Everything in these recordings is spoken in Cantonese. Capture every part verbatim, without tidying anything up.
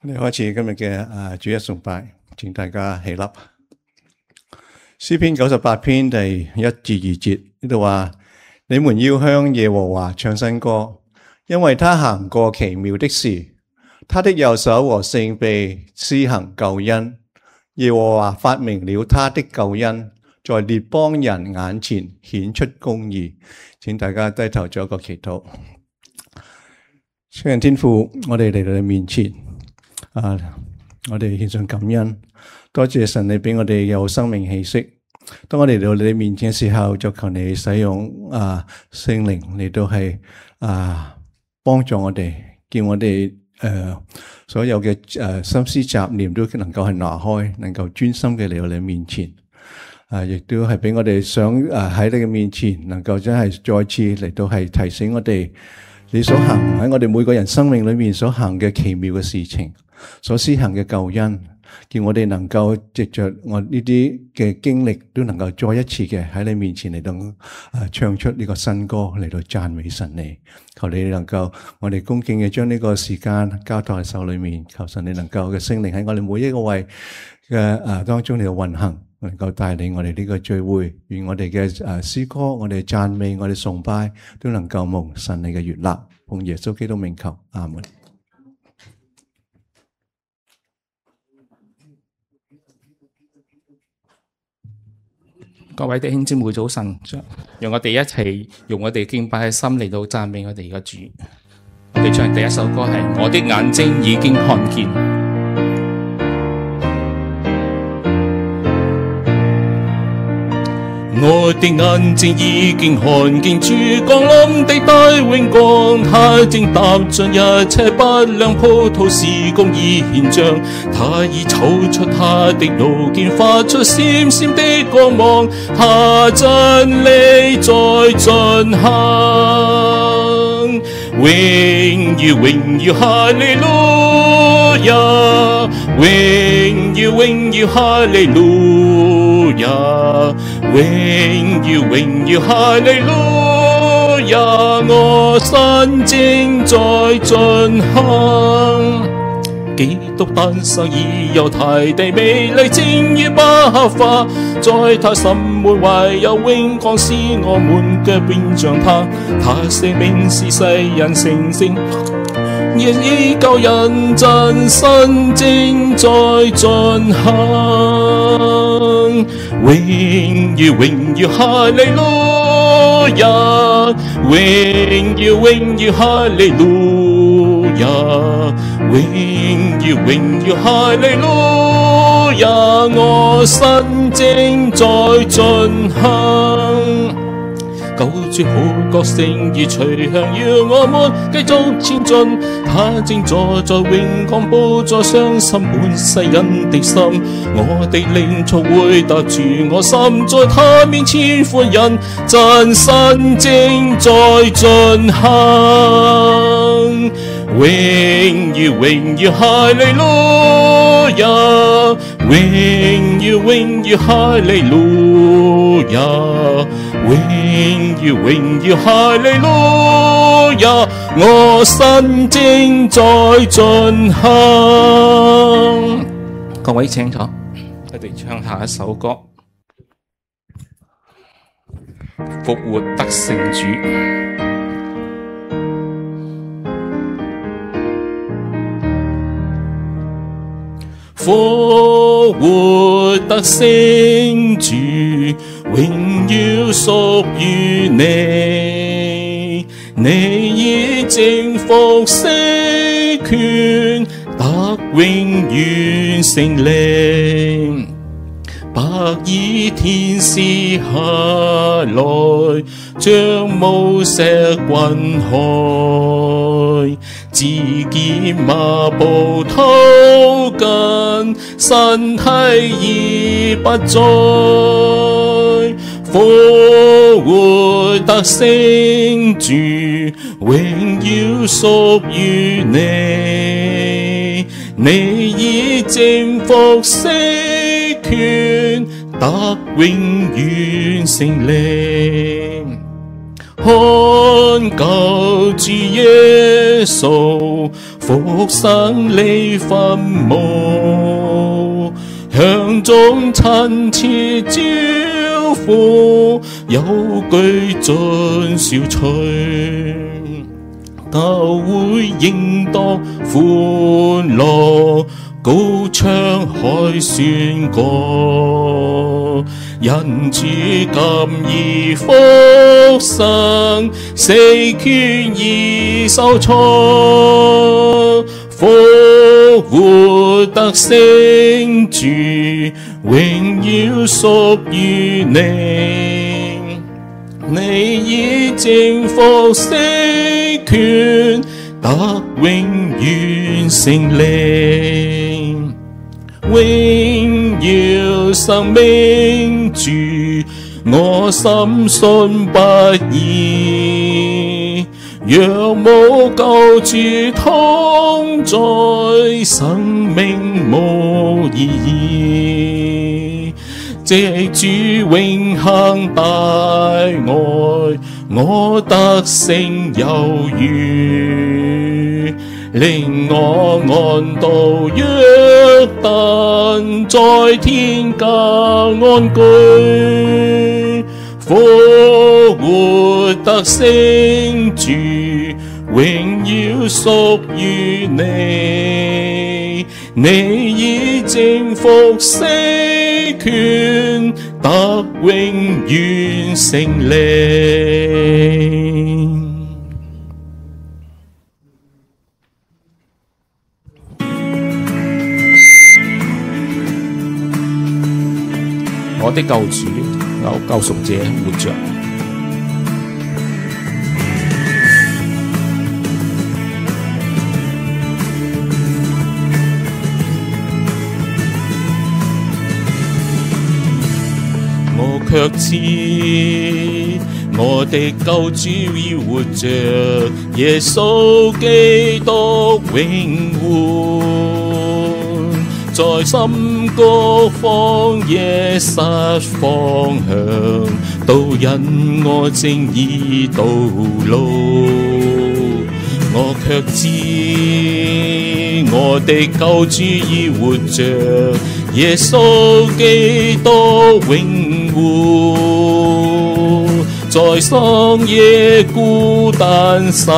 我哋開始今日嘅啊主日崇拜，請大家起立。詩篇九十八篇第一至二節呢度話：你們要向耶和華唱新歌，因為他行過奇妙的事，他的右手和聖臂施行救恩。耶和華發明了他的救恩，在列邦人眼前顯出公義。請大家低頭做一個祈禱。聖人天父，我哋嚟到你面前。啊！我哋獻上感恩，多謝神你俾我哋有生命氣息。當我哋嚟到你面前嘅時候，就求你使用啊聖靈嚟到係啊幫助我哋，叫我哋誒、呃、所有嘅誒、呃、心思雜念都能夠係拿開，能夠專心嘅嚟到你面前。啊！亦都係俾我哋想誒喺你嘅面前，能夠真係再次嚟到係提醒我哋，你所行喺我哋每個人生命裏面所行嘅奇妙嘅事情。所施行嘅救恩，叫我哋能夠藉着我呢啲嘅經歷，都能夠再一次嘅喺你面前嚟到誒唱出呢個新歌嚟到讚美神你。求你能夠我哋恭敬嘅將呢個時間交託喺手裏面，求神你能夠嘅聖靈喺我哋每一個位嘅誒當中嚟到運行，能夠帶領我哋呢個聚會，願我哋嘅誒詩歌、我哋讚美、我哋崇拜都能夠蒙神你嘅悅納，奉耶穌基督名求，阿門。各位弟兄姊妹早晨，讓我哋一齊用我哋敬拜嘅心嚟到讚美我哋嘅主。我哋唱第一首歌係《我的眼睛已經看見》。我的眼睛已經看見主降臨的大榮光，他正踏進一切不良葡萄時公義顯彰，他已抽出他的路劍，發出閃閃的光芒，他真理在進行，榮耀榮耀哈利路亞，榮耀榮耀哈利路亞，榮耀榮耀哈利路亞，我心正在進行。基督誕生已有大地美麗正如百花，在他心門懷有永光，使我們嘅變像他，他生命是世人成聖，亦已救人真身正在進行。榮耀榮耀哈利路亞，榮耀榮耀哈利路亞，榮耀榮耀哈利路亞，我心正在進行。救主好角聲已吹響，要我們繼續前進。他正坐在永光寶座上，審判世人的心。我的靈速回答住我心，在他面前歡欣，真身正在進行。榮耀榮耀哈利路亞，榮耀榮耀哈利路亞，榮耀榮耀哈利路亞，我心正在進行。各位請坐，我哋唱下一首歌《復活得勝主》。復活得勝主，榮耀屬於你，你已征服死權，得永遠勝利。白衣天使下來，將無石滾開，自見麻布頭巾，身體已不再。復活得勝主，榮耀屬於你，你已征服死權，得永遠勝利。看救主耶穌復生離墳墓，向眾親切招呼，有句盡小吹，都會應當歡樂，高唱海宣歌，人主今已復生，死權已受挫，復活得勝主，榮耀屬於你，你已征服死權，得永遠勝利，榮耀生命主，我深信不疑，若無救主同在，生命無意義，藉主永恆大愛，我得勝有餘，令我安度約旦，在天家安居，復活得勝主，榮耀屬於你，你已征服死權，得永遠勝利。我的救主，我救贖者活着。我卻知我的救主要活着，耶穌基督永活，在深谷荒野失方向，導引我正義道路。我卻知我的救主已活着，耶穌基督永活，在曠野孤單失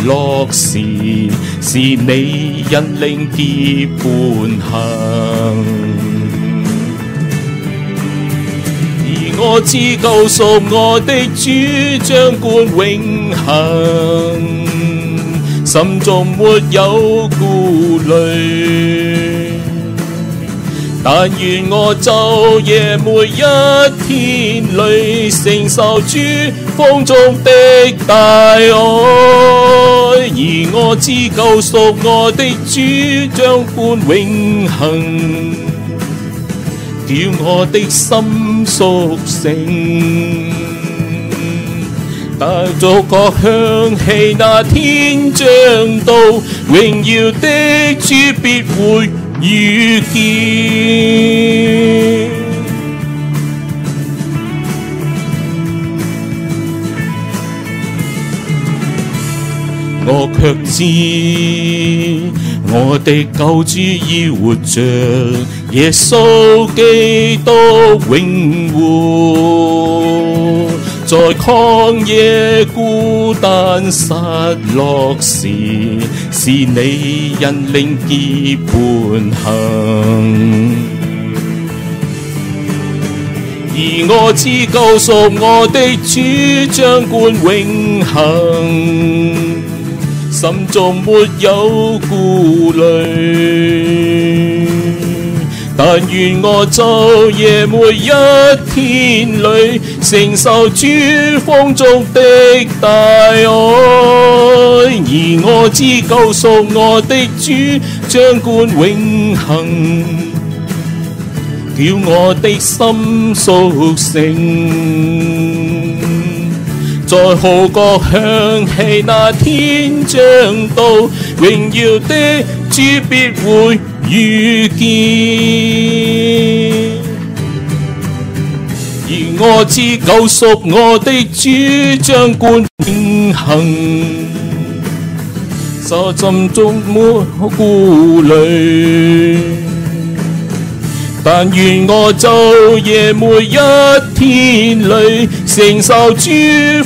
落時，是你引領結伴行。而我知救贖我的主掌管永恆，心中沒有顧慮，但願我晝夜每一天裏承受主豐足的大愛，而我知救贖我的主掌管永恆，叫我的心甦醒。但逐角響起那天將到，榮耀的主必會遇見。我卻知我的救主已活着，耶穌基督永活，在曠野孤單失落時，是你引領結伴行。而我知救贖我的主掌管永恆，心中沒有顧慮，但願我晝夜每一天裏承受主豐足的大愛，而我知救贖我的主掌管永恆，叫我的心甦醒。在號角響起那天將到，榮耀的主必會遇見。而我知救贖我的主掌管永恆，所心中沒顧慮。但願我晝夜每一天裏承受主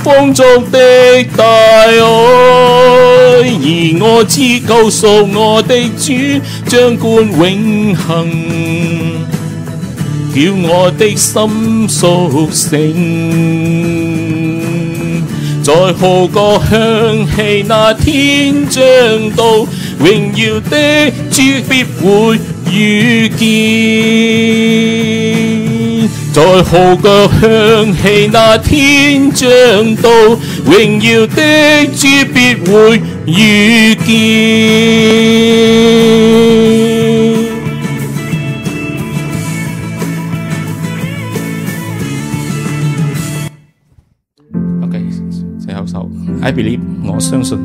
豐足的大愛，而我知救贖我的主掌管永恆，叫我的心甦醒。在號角響起那天將到，榮耀的主必會遇見。在號角響起那天將到，榮耀的主必會遇見。OK， 最後首 I believe 我相信。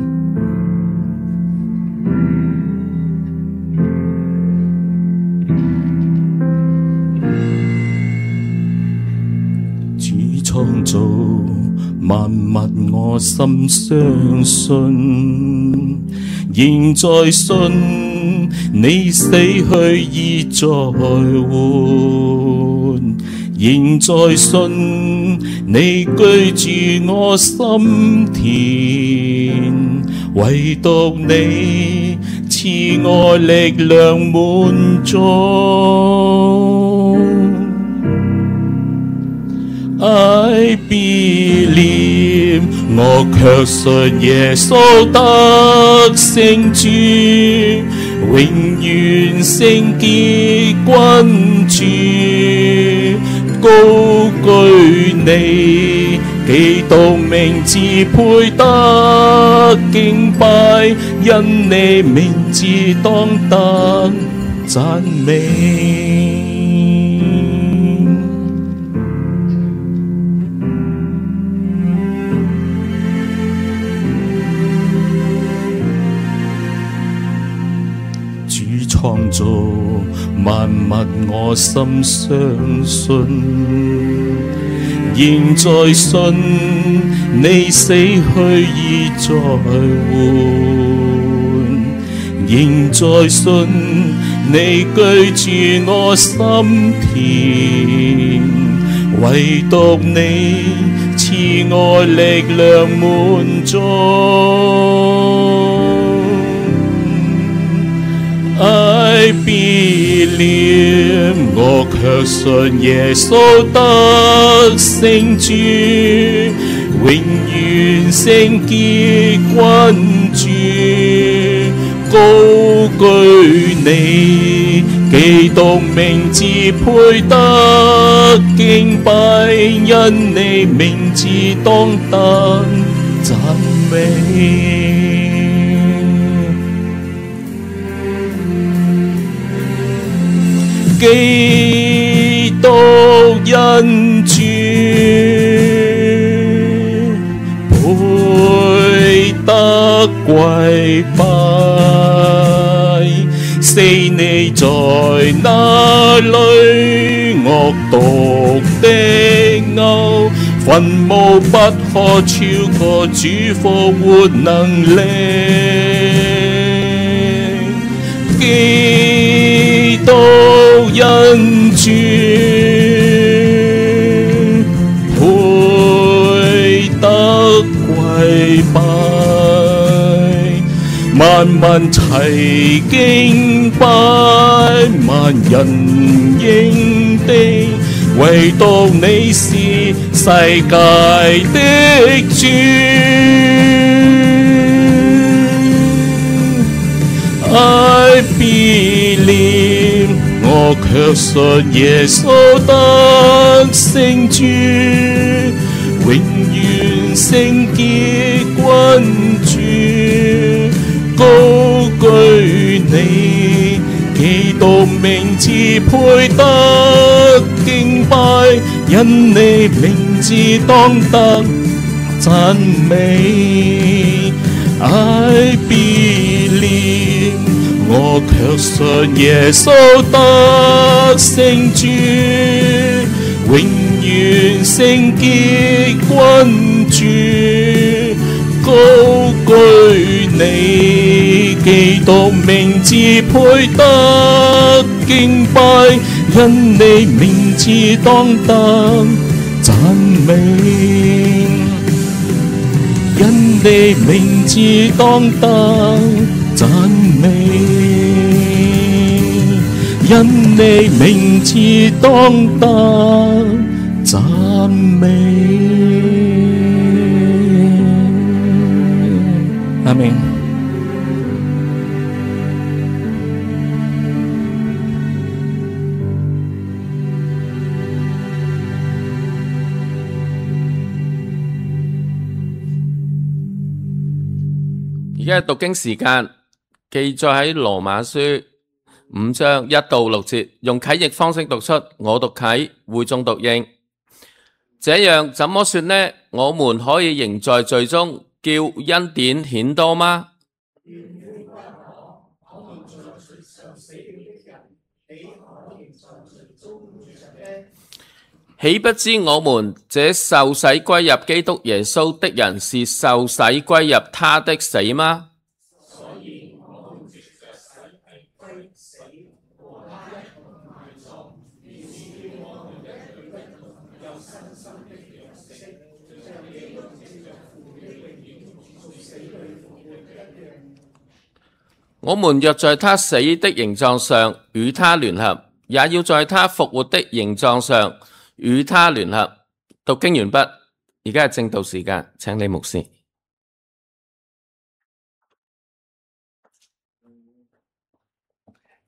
創造萬物，我心相信，仍在信你死去已再活，仍在信你居住我心田，唯獨你賜我力量滿足。I believe 我卻信耶穌得勝主，永遠聖潔君主，高舉你，基督名字配得敬拜，因你名字當得讚美。創造萬物，我心相信，仍在信你死去已再活，仍在信你居住我心田，唯獨你賜我力量滿足。I believe 我卻信耶穌得勝主，永遠聖潔君主，高舉你，基督名字配得敬拜，因你名字當得讚美。基督恩主配得跪拜，死你在哪裏？惡毒的鈎，墳墓不可超過主復活能力。基督恩主配得跪拜，萬民齊敬拜，萬人應地，唯獨你是世界的主。I believe 我卻信耶穌得勝主，永遠聖潔君主，高舉你，基督名字配得敬拜，因你名字當得讚美。I believe 我卻信耶穌得勝主，永遠聖潔君主，高舉你基督名字配得敬拜，因你名字當得讚美，因你名字當得讚美，因你名字當得讚美。阿們。而家讀經時間，記載喺羅馬書五章一到六節，用啟譯方式讀出，我讀啟，會眾讀應。這樣怎麼說呢？我們可以仍在罪中，叫恩典顯多嗎？豈不知我們這受洗歸入基督耶穌的人，是受洗歸入他的死嗎？我們若在他死的形狀上與他聯合，也要在他復活的形狀上與他聯合。讀經完畢，而家係正道時間，請李牧師。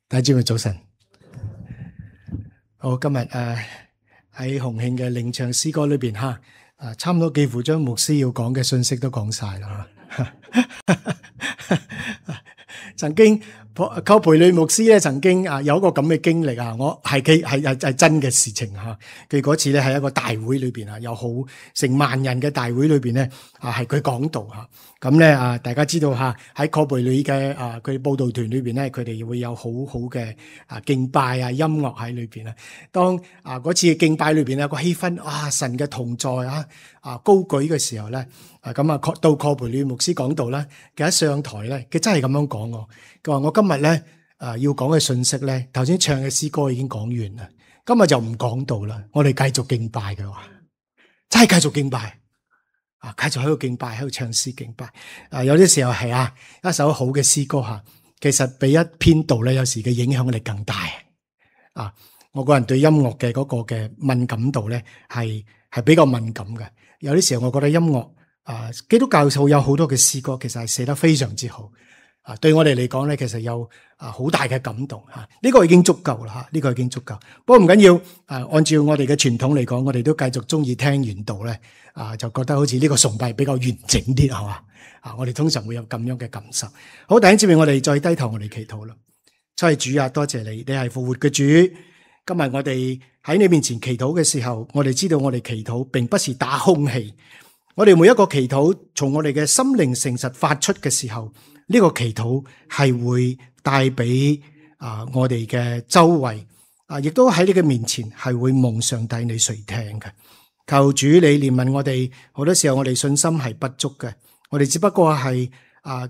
大家早晨。好，今日誒喺洪慶嘅領唱詩歌裏邊吓，啊差唔多幾乎將牧師要講嘅信息都講晒啦。曾經寇培理牧師咧，曾經啊有一個咁嘅經歷啊，我係佢係係係真嘅事情吓。佢嗰次咧喺一個大會裏邊啊，有好成萬人嘅大會裏邊咧啊，係佢講道吓。咁咧啊，大家知道吓喺寇培理嘅啊佢報道團裏邊咧，佢哋會有好好嘅啊敬拜啊音樂喺裏邊啊。當啊嗰次嘅敬拜裏邊咧個氣氛啊神嘅同在啊啊高舉嘅時候咧。啊咁啊，到寇培理牧師講道咧，佢一上台咧，佢真係咁樣講我。佢話我今日咧，啊要講嘅信息咧，頭先唱嘅詩歌已經講完啦，今日就唔講道啦，我哋繼續敬拜嘅話，真係繼續敬拜，啊繼續喺度敬拜，喺度唱詩敬拜。啊有啲時候係啊，一首好嘅詩歌吓，其實比一篇道咧，有時嘅影響力更大。啊，我個人對音樂嘅嗰個嘅敏感度咧，係係比較敏感嘅。有啲時候我覺得音樂。啊，基督教數有好多嘅詩歌，其實係寫得非常之好。啊，對我哋嚟講咧，其實有啊好大嘅感動吓。呢、這個已經足夠啦吓，呢、這個已經足夠。不過唔緊要，啊，按照我哋嘅傳統嚟講，我哋都繼續中意聽完道咧，啊，就覺得好似呢個崇拜比較完整啲，係嘛？啊，我哋通常會有咁樣嘅感受。好，弟兄姊妹，我哋再低頭，我哋祈禱啦。真係主啊，多謝你，你係復活嘅主。今日我哋喺你面前祈禱嘅時候，我哋知道我哋祈禱並不是打空氣。我哋每一個祈禱從我哋嘅心靈誠實發出嘅時候，呢個祈禱係會帶俾啊我哋嘅周圍啊，亦都喺你嘅面前係會蒙上帝你垂聽嘅。求主你憐憫我哋，好多時候我哋信心係不足嘅，我哋只不過係啊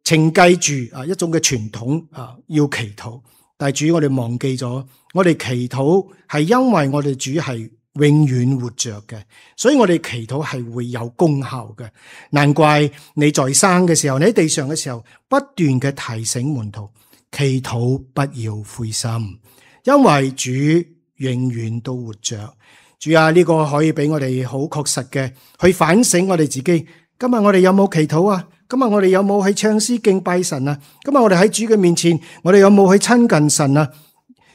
承繼住啊一種嘅傳統啊要祈禱，但係主我哋忘記咗，我哋祈禱係因為我哋主係永遠活着嘅，所以我哋祈禱係會有功效嘅。難怪你在生嘅時候，你喺地上嘅時候，不斷嘅提醒門徒，祈禱不要灰心，因為主永遠都活着。主啊，呢個可以俾我哋好確實嘅去反省我哋自己。今日我哋有冇祈禱啊？今日我哋有冇去唱詩敬拜神啊？今日我哋喺主嘅面前，我哋有冇去親近神啊？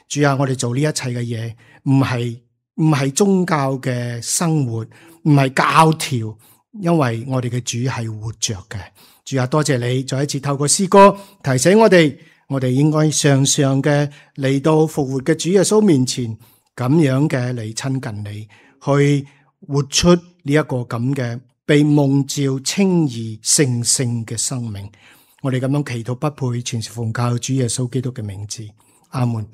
主啊，我哋做呢一切嘅嘢，唔係唔係宗教嘅生活，唔係教條，因為我哋嘅主係活着嘅。主啊，多謝你再一次透過詩歌提醒我哋，我哋應該常常嘅嚟到復活嘅主耶穌面前，咁樣嘅嚟親近你，去活出呢一個咁嘅被蒙召稱義聖聖嘅生命。我哋咁樣祈禱不配，全是奉靠主耶穌基督嘅名字，阿門。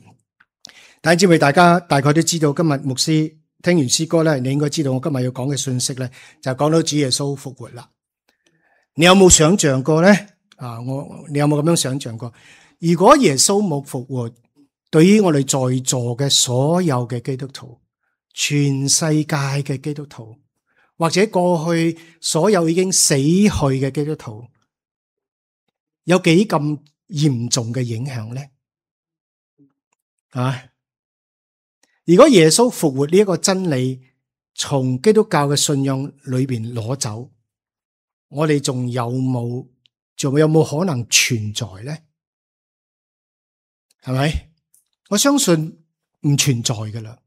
但係，知唔知大家大概都知道，今日牧師聽完詩歌咧，你應該知道我今日要講嘅信息咧，就講到主耶穌復活啦。你有冇想象過咧？啊！我你有冇咁樣想象過？如果耶穌冇復活，對於我哋在座嘅所有嘅基督徒，全世界嘅基督徒，或者過去所有已經死去嘅基督徒，有幾咁嚴重嘅影響咧？啊！如果耶穌復活呢一個真理從基督教嘅信仰裏邊攞走，我哋仲有冇仲有冇可能存在咧？係咪？我相信唔存在噶啦，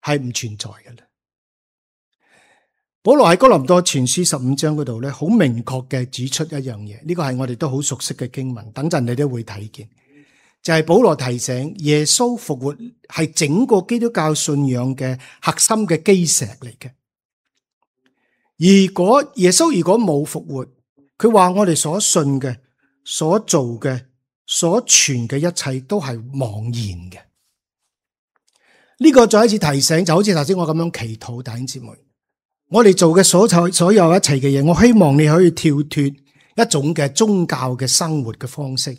係唔存在噶啦。保羅喺哥林多前書十五章嗰度咧，好明確嘅指出一樣嘢，呢個係我哋都好熟悉嘅經文，等陣你都會睇見。就係保羅提醒耶穌復活係整個基督教信仰嘅核心嘅基石嚟嘅。如果耶穌如果冇復活，佢話我哋所信嘅、所做嘅、所傳嘅一切都係妄然嘅。呢個再一次提醒，就好似頭先我咁樣祈禱，弟兄姊妹，我哋做嘅所有所有一切嘅嘢，我希望你可以跳脫一種嘅宗教嘅生活嘅方式。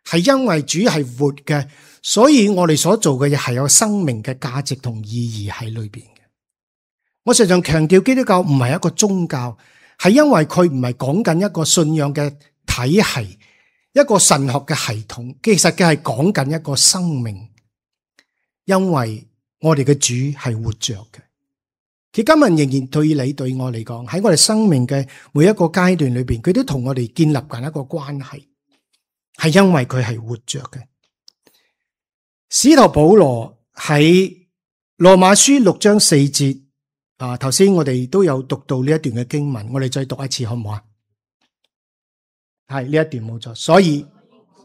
係因為主係活嘅，所以我哋所做嘅嘢係有生命嘅價值同意義喺裏邊嘅。我常常強調基督教唔係一個宗教，係因為佢唔係講緊一個信仰嘅體系，一個神學嘅系統，其實佢係講緊一個生命。因為我哋嘅主係活着嘅，佢今日仍然對你對我嚟講，喺我哋生命嘅每一個階段裏邊，佢都同我哋建立緊一個關係。係因為佢係活着嘅。使徒保羅喺羅馬書六章四節啊，頭先我哋都有讀到呢一段嘅經文，我哋再讀一次好唔好啊？係呢一段冇錯。所以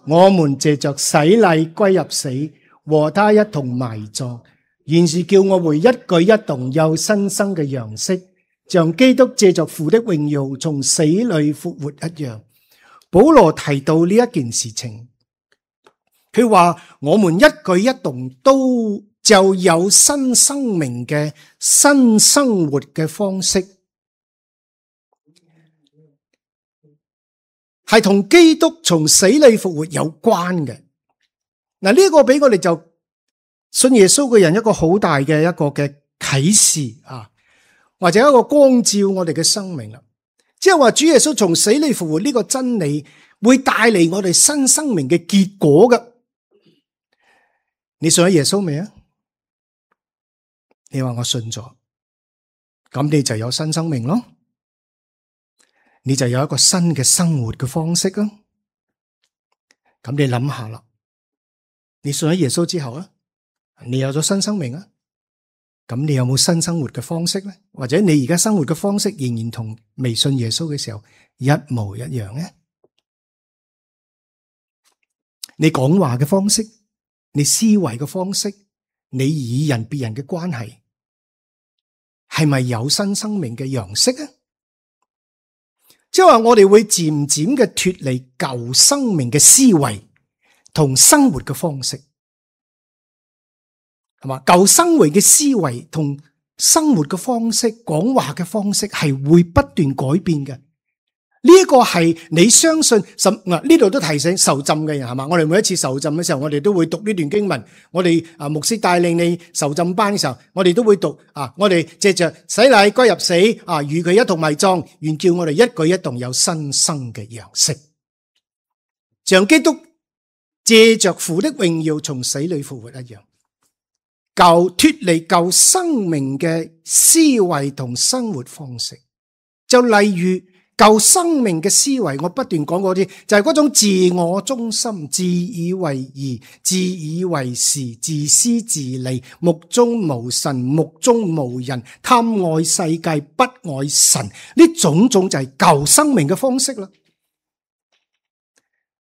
我們借着洗禮歸入死，和他一同埋葬，原是叫我們一舉一動有新生嘅樣式，像基督借着父的榮耀從死裏復活一樣。保羅提到呢一件事情，佢話我們一舉一動都就有新生命嘅新生活嘅方式，係同基督從死裏復活有關嘅。嗱，呢個俾我哋就信耶穌嘅人一個好大嘅一個嘅啟示啊，或者一個光照我哋嘅生命啦。即係話主耶穌從死裏復活呢個真理會帶嚟我哋新生命嘅結果嘅。你信咗耶穌未啊？你話我信咗，咁你就有新生命咯，你就有一個新嘅生活嘅方式咯。咁你諗下啦，你信咗耶穌之後啊，你有咗新生命啊？咁你有冇新生活嘅方式咧？或者你而家生活嘅方式仍然同未信耶穌嘅時候一模一樣咧？你講話嘅方式，你思維嘅方式，你與人別人嘅關係，係咪有新生命嘅樣式啊？即係話我哋會漸漸嘅脫離舊生命嘅思維同生活嘅方式。係嘛？舊生活嘅思維同生活嘅方式、講話嘅方式係會不斷改變嘅。呢一個係你相信，嗱呢度都提醒受浸嘅人係嘛？我哋每一次受浸嘅時候，我哋都會讀呢段經文。我哋啊牧師帶領你受浸班嘅時候，我哋都會讀啊。我哋借着洗禮歸入死啊，與佢一同埋葬，願叫我哋一舉一動有新生嘅樣式，像基督借着父的榮耀從死裏復活一樣。舊脫離舊生命嘅思維同生活方式，就例如舊生命嘅思維，我不斷講嗰啲，就係嗰種自我中心、自以為義、自以為是、自私自利、目中無神、目中無人、貪愛世界、不愛神，呢種種就係舊生命嘅方式啦。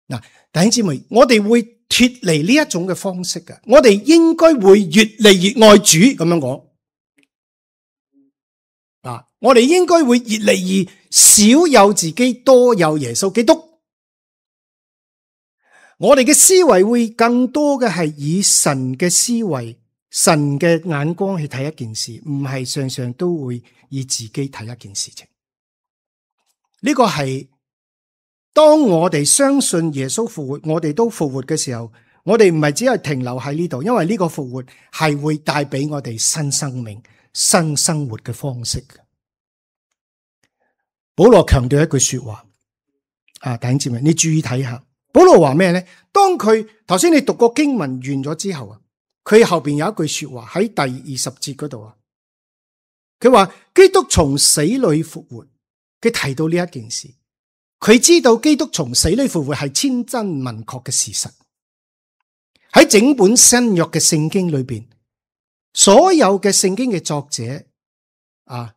嗱，弟兄姊妹，我哋會脫離呢一種嘅方式嘅，我哋應該會越嚟越愛主，咁樣講。啊，我哋應該會越嚟越少有自己，多有耶穌基督。我哋嘅思維會更多嘅係以神嘅思維、神嘅眼光去睇一件事，唔係常常都會以自己睇一件事情。呢個係當我哋相信耶穌復活，我哋都復活嘅時候，我哋唔係只係停留喺呢度，因為呢個復活係會帶俾我哋新生命、新生活嘅方式。保羅強調一句說話，啊，弟兄姊妹，你注意睇下，保羅話咩咧？當佢頭先你讀過經文完咗之後啊，佢後邊有一句說話喺第二十節嗰度啊，佢話基督從死裏復活，佢提到呢一件事，佢知道基督從死裏復活係千真萬確嘅事實。喺整本新約嘅聖經裏邊，所有嘅聖經嘅作者啊，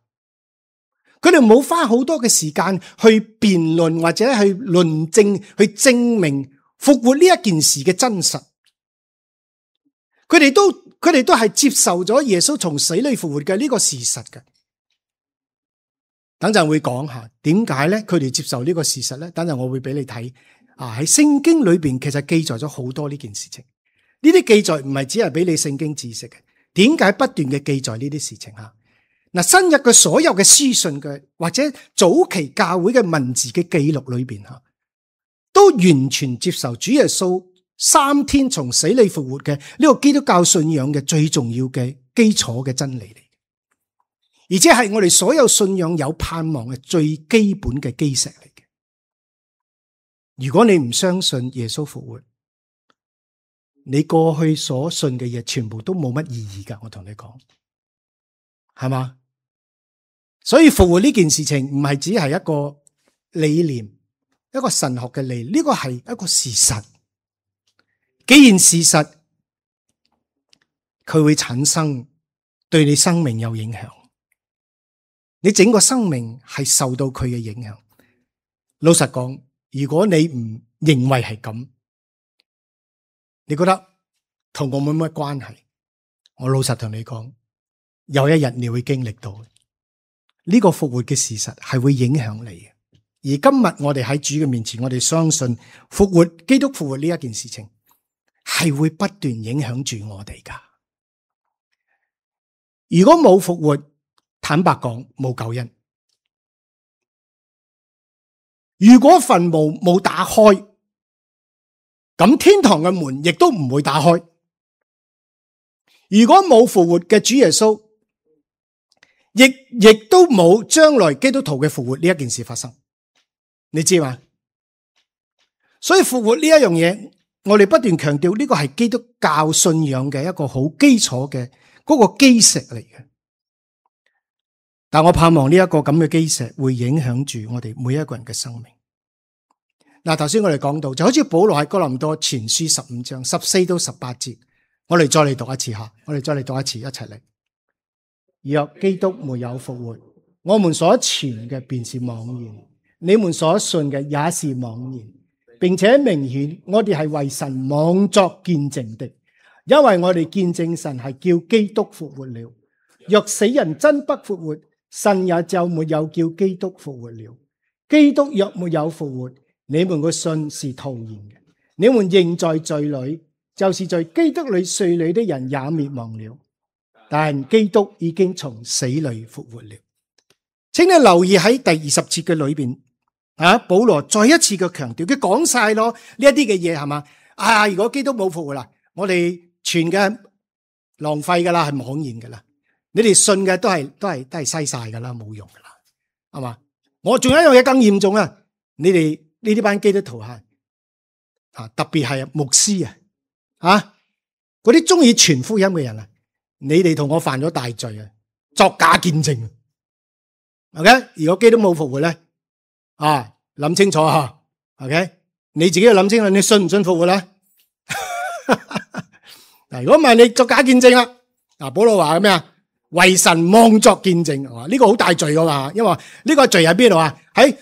佢哋冇花好多嘅時間去辯論或者去論證，去證明復活呢一件事嘅真實。佢哋都佢哋都係接受咗耶穌從死裏復活嘅呢個事實嘅。等陣會講下點解咧？佢哋接受呢個事實咧？等陣我會俾你睇啊！喺聖經裏邊其實記載咗好多呢件事情。呢啲記載唔係只係俾你聖經知識嘅。點解不斷嘅記載呢啲事情吓？嗱，新約嘅所有嘅書信嘅或者早期教會嘅文字嘅記錄裏邊吓，都完全接受主耶穌三天從死裏復活嘅呢個基督教信仰嘅最重要嘅基礎嘅真理嚟，而且係我哋所有信仰有盼望嘅最基本嘅基石嚟嘅。如果你唔相信耶穌復活，你過去所信嘅嘢全部都冇乜意義噶，我同你講，係嘛？所以復活呢件事情唔係只係一個理念，一個神學嘅理念，呢個係一個事實。既然事實，佢會產生對你生命有影響，你整個生命係受到佢嘅影響。老實講，如果你唔認為係咁，你覺得同我冇乜關係，我老實同你講，有一日你會經歷到呢個復活嘅事實係會影響你嘅。而今日我哋喺主嘅面前，我哋相信復活，基督復活呢一件事情係會不斷影響住我哋噶。如果冇復活，坦白講冇救恩。如果墳墓冇打開，咁天堂嘅門亦都唔會打開。如果冇復活嘅主耶穌，亦亦都冇將來基督徒嘅復活呢一件事發生。你知嘛？所以復活呢一樣嘢，我哋不斷強調呢個係基督教信仰嘅一個好基礎嘅嗰個基石嚟嘅。但我盼望呢一個咁嘅基石會影響住我哋每一個人嘅生命。嗱，頭先我哋講到，就好似保羅喺哥林多前書十五章十四到十八節，我哋再嚟讀一次吓，我哋再嚟讀一次，一齊嚟。若基督沒有復活，我們所傳嘅便是妄言，你們所信嘅也是妄言，並且明顯我哋係為神妄作見證的，因為我哋見證神係叫基督復活了。若死人真不復活，神也就沒有叫基督復活了。基督若沒有復活，你們嘅信是徒然嘅，你們仍在罪裏，就是在基督裏睡裏的人也滅亡了。但基督已經從死裏復活了。請你留意喺第二十節嘅裏邊，啊，保羅再一次嘅強調，佢講晒咯呢一啲嘅嘢係嘛？啊，如果基督冇復活啦，我哋傳嘅浪費噶啦，係妄言噶啦。你哋信嘅都係都係都係嘥晒噶啦，冇用噶啦，係嘛？我仲有一樣嘢更嚴重啊！你哋呢啲班基督徒啊，啊特別係牧師啊，啊嗰啲中意傳福音嘅人啊，你哋同我犯咗大罪啊，作假見證。OK， 如果基督冇復活咧，啊諗清楚吓 ，OK， 你自己要諗清楚，你信唔信復活咧？嗱，如果唔係你作假見證啦，嗱，保羅話咩啊？為神妄作見證，呢、這個好大罪噶嘛？因為呢個罪喺邊度啊？喺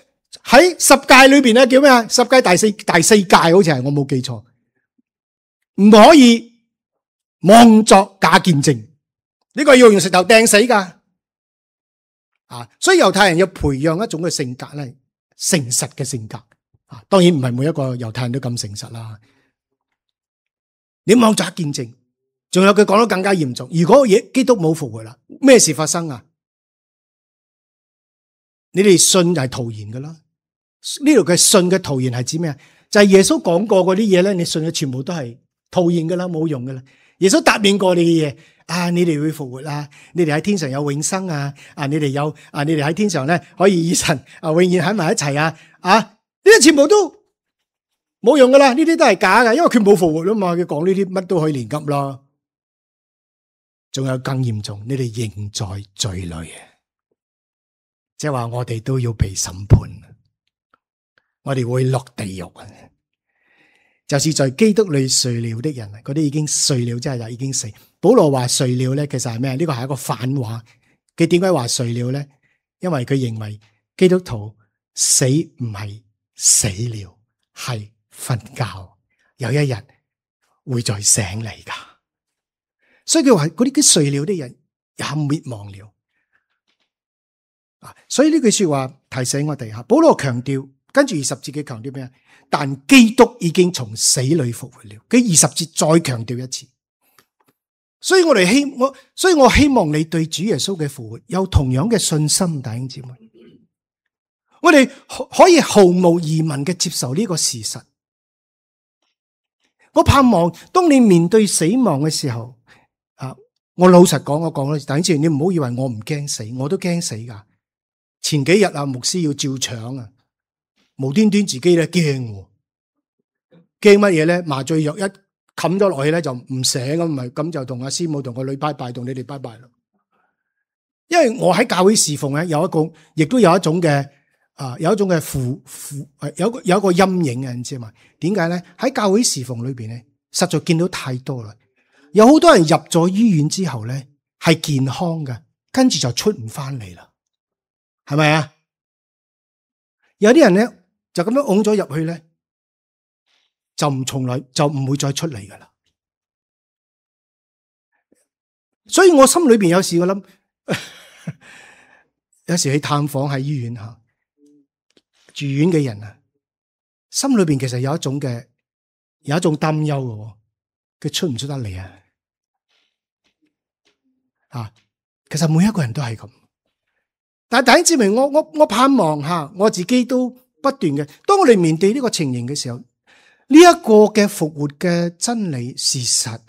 喺十誡裏邊咧，叫咩啊？十誡第四第四誡好似係，我冇記錯，唔可以妄作假見證，呢、這個要用石頭掟死噶。啊，所以猶太人要培養一種嘅性格咧，誠實嘅性格。啊，當然唔係每一個猶太人都咁誠實啦。你妄作假見證。仲有佢講得更加嚴重，如果基督冇復活啦，咩事發生啊？你哋信就係徒然噶啦，呢度嘅信嘅徒然係指咩啊？就係耶穌講過嗰啲嘢咧，你信嘅全部都係徒然噶啦，冇用噶啦。耶穌答應過你嘅嘢，啊，你哋會復活啊，你哋喺天上有永生啊，啊，你哋有啊，你哋喺天上咧可以與神啊永遠喺埋一齊啊，啊，呢啲全部都冇用噶啦，呢啲都係假噶，因為佢冇復活啊嘛，佢講呢啲乜都可以連急啦。仲有更嚴重，你哋仍在罪裏嘅，即係話我哋都要被審判，我哋會落地獄啊！就是在基督裏睡了的人，嗰啲已經睡了，即係就已經死。保羅話睡了咧，其實係咩？呢個係一個反話。佢點解話睡了咧？因為佢認為基督徒死唔係死了，係瞓覺，有一日會再醒嚟噶。所以佢話嗰啲啲睡了的人也滅亡了。啊，所以呢句說話提醒我哋吓，保羅強調，跟住二十節佢強調咩啊？但基督已經從死裏復活了。佢二十節再強調一次。所以我哋希我，所以我希望你對主耶穌嘅復活有同樣嘅信心，弟兄姊妹。我哋可以毫無疑問嘅接受呢個事實。我盼望當你面對死亡嘅時候，啊，我老實講，我講啦，弟兄姊妹，你唔好以為我唔驚死，我都驚死噶。前幾日啊，牧師要照腸啊。無端端自己咧驚，驚乜嘢咧？麻醉藥一冚咗落去咧就唔醒咁，咪咁就同阿師母同個女拜拜，同你哋拜拜咯。因為我喺教會侍奉咧，有一個，亦都有一種嘅啊，有一種嘅負負，有個有一個陰影啊，你知嘛？點解咧？喺教會侍奉裏邊咧，實在見到太多啦。有好多人入咗醫院之後咧係健康嘅，跟住就出唔翻嚟啦，係咪啊？有啲人咧。就咁樣㧬咗入去咧，就唔從來就唔會再出嚟噶啦。所以我心裏邊有時我諗，有時去探訪喺醫院吓住院嘅人啊，心裏邊其實有一種嘅有一種擔憂嘅，佢出唔出得嚟啊？啊，其實每一個人都係咁，但係弟兄姊妹，我我我盼望吓我自己都。不斷嘅，當我哋面對呢個情形嘅時候，呢一個嘅復活嘅真理事實，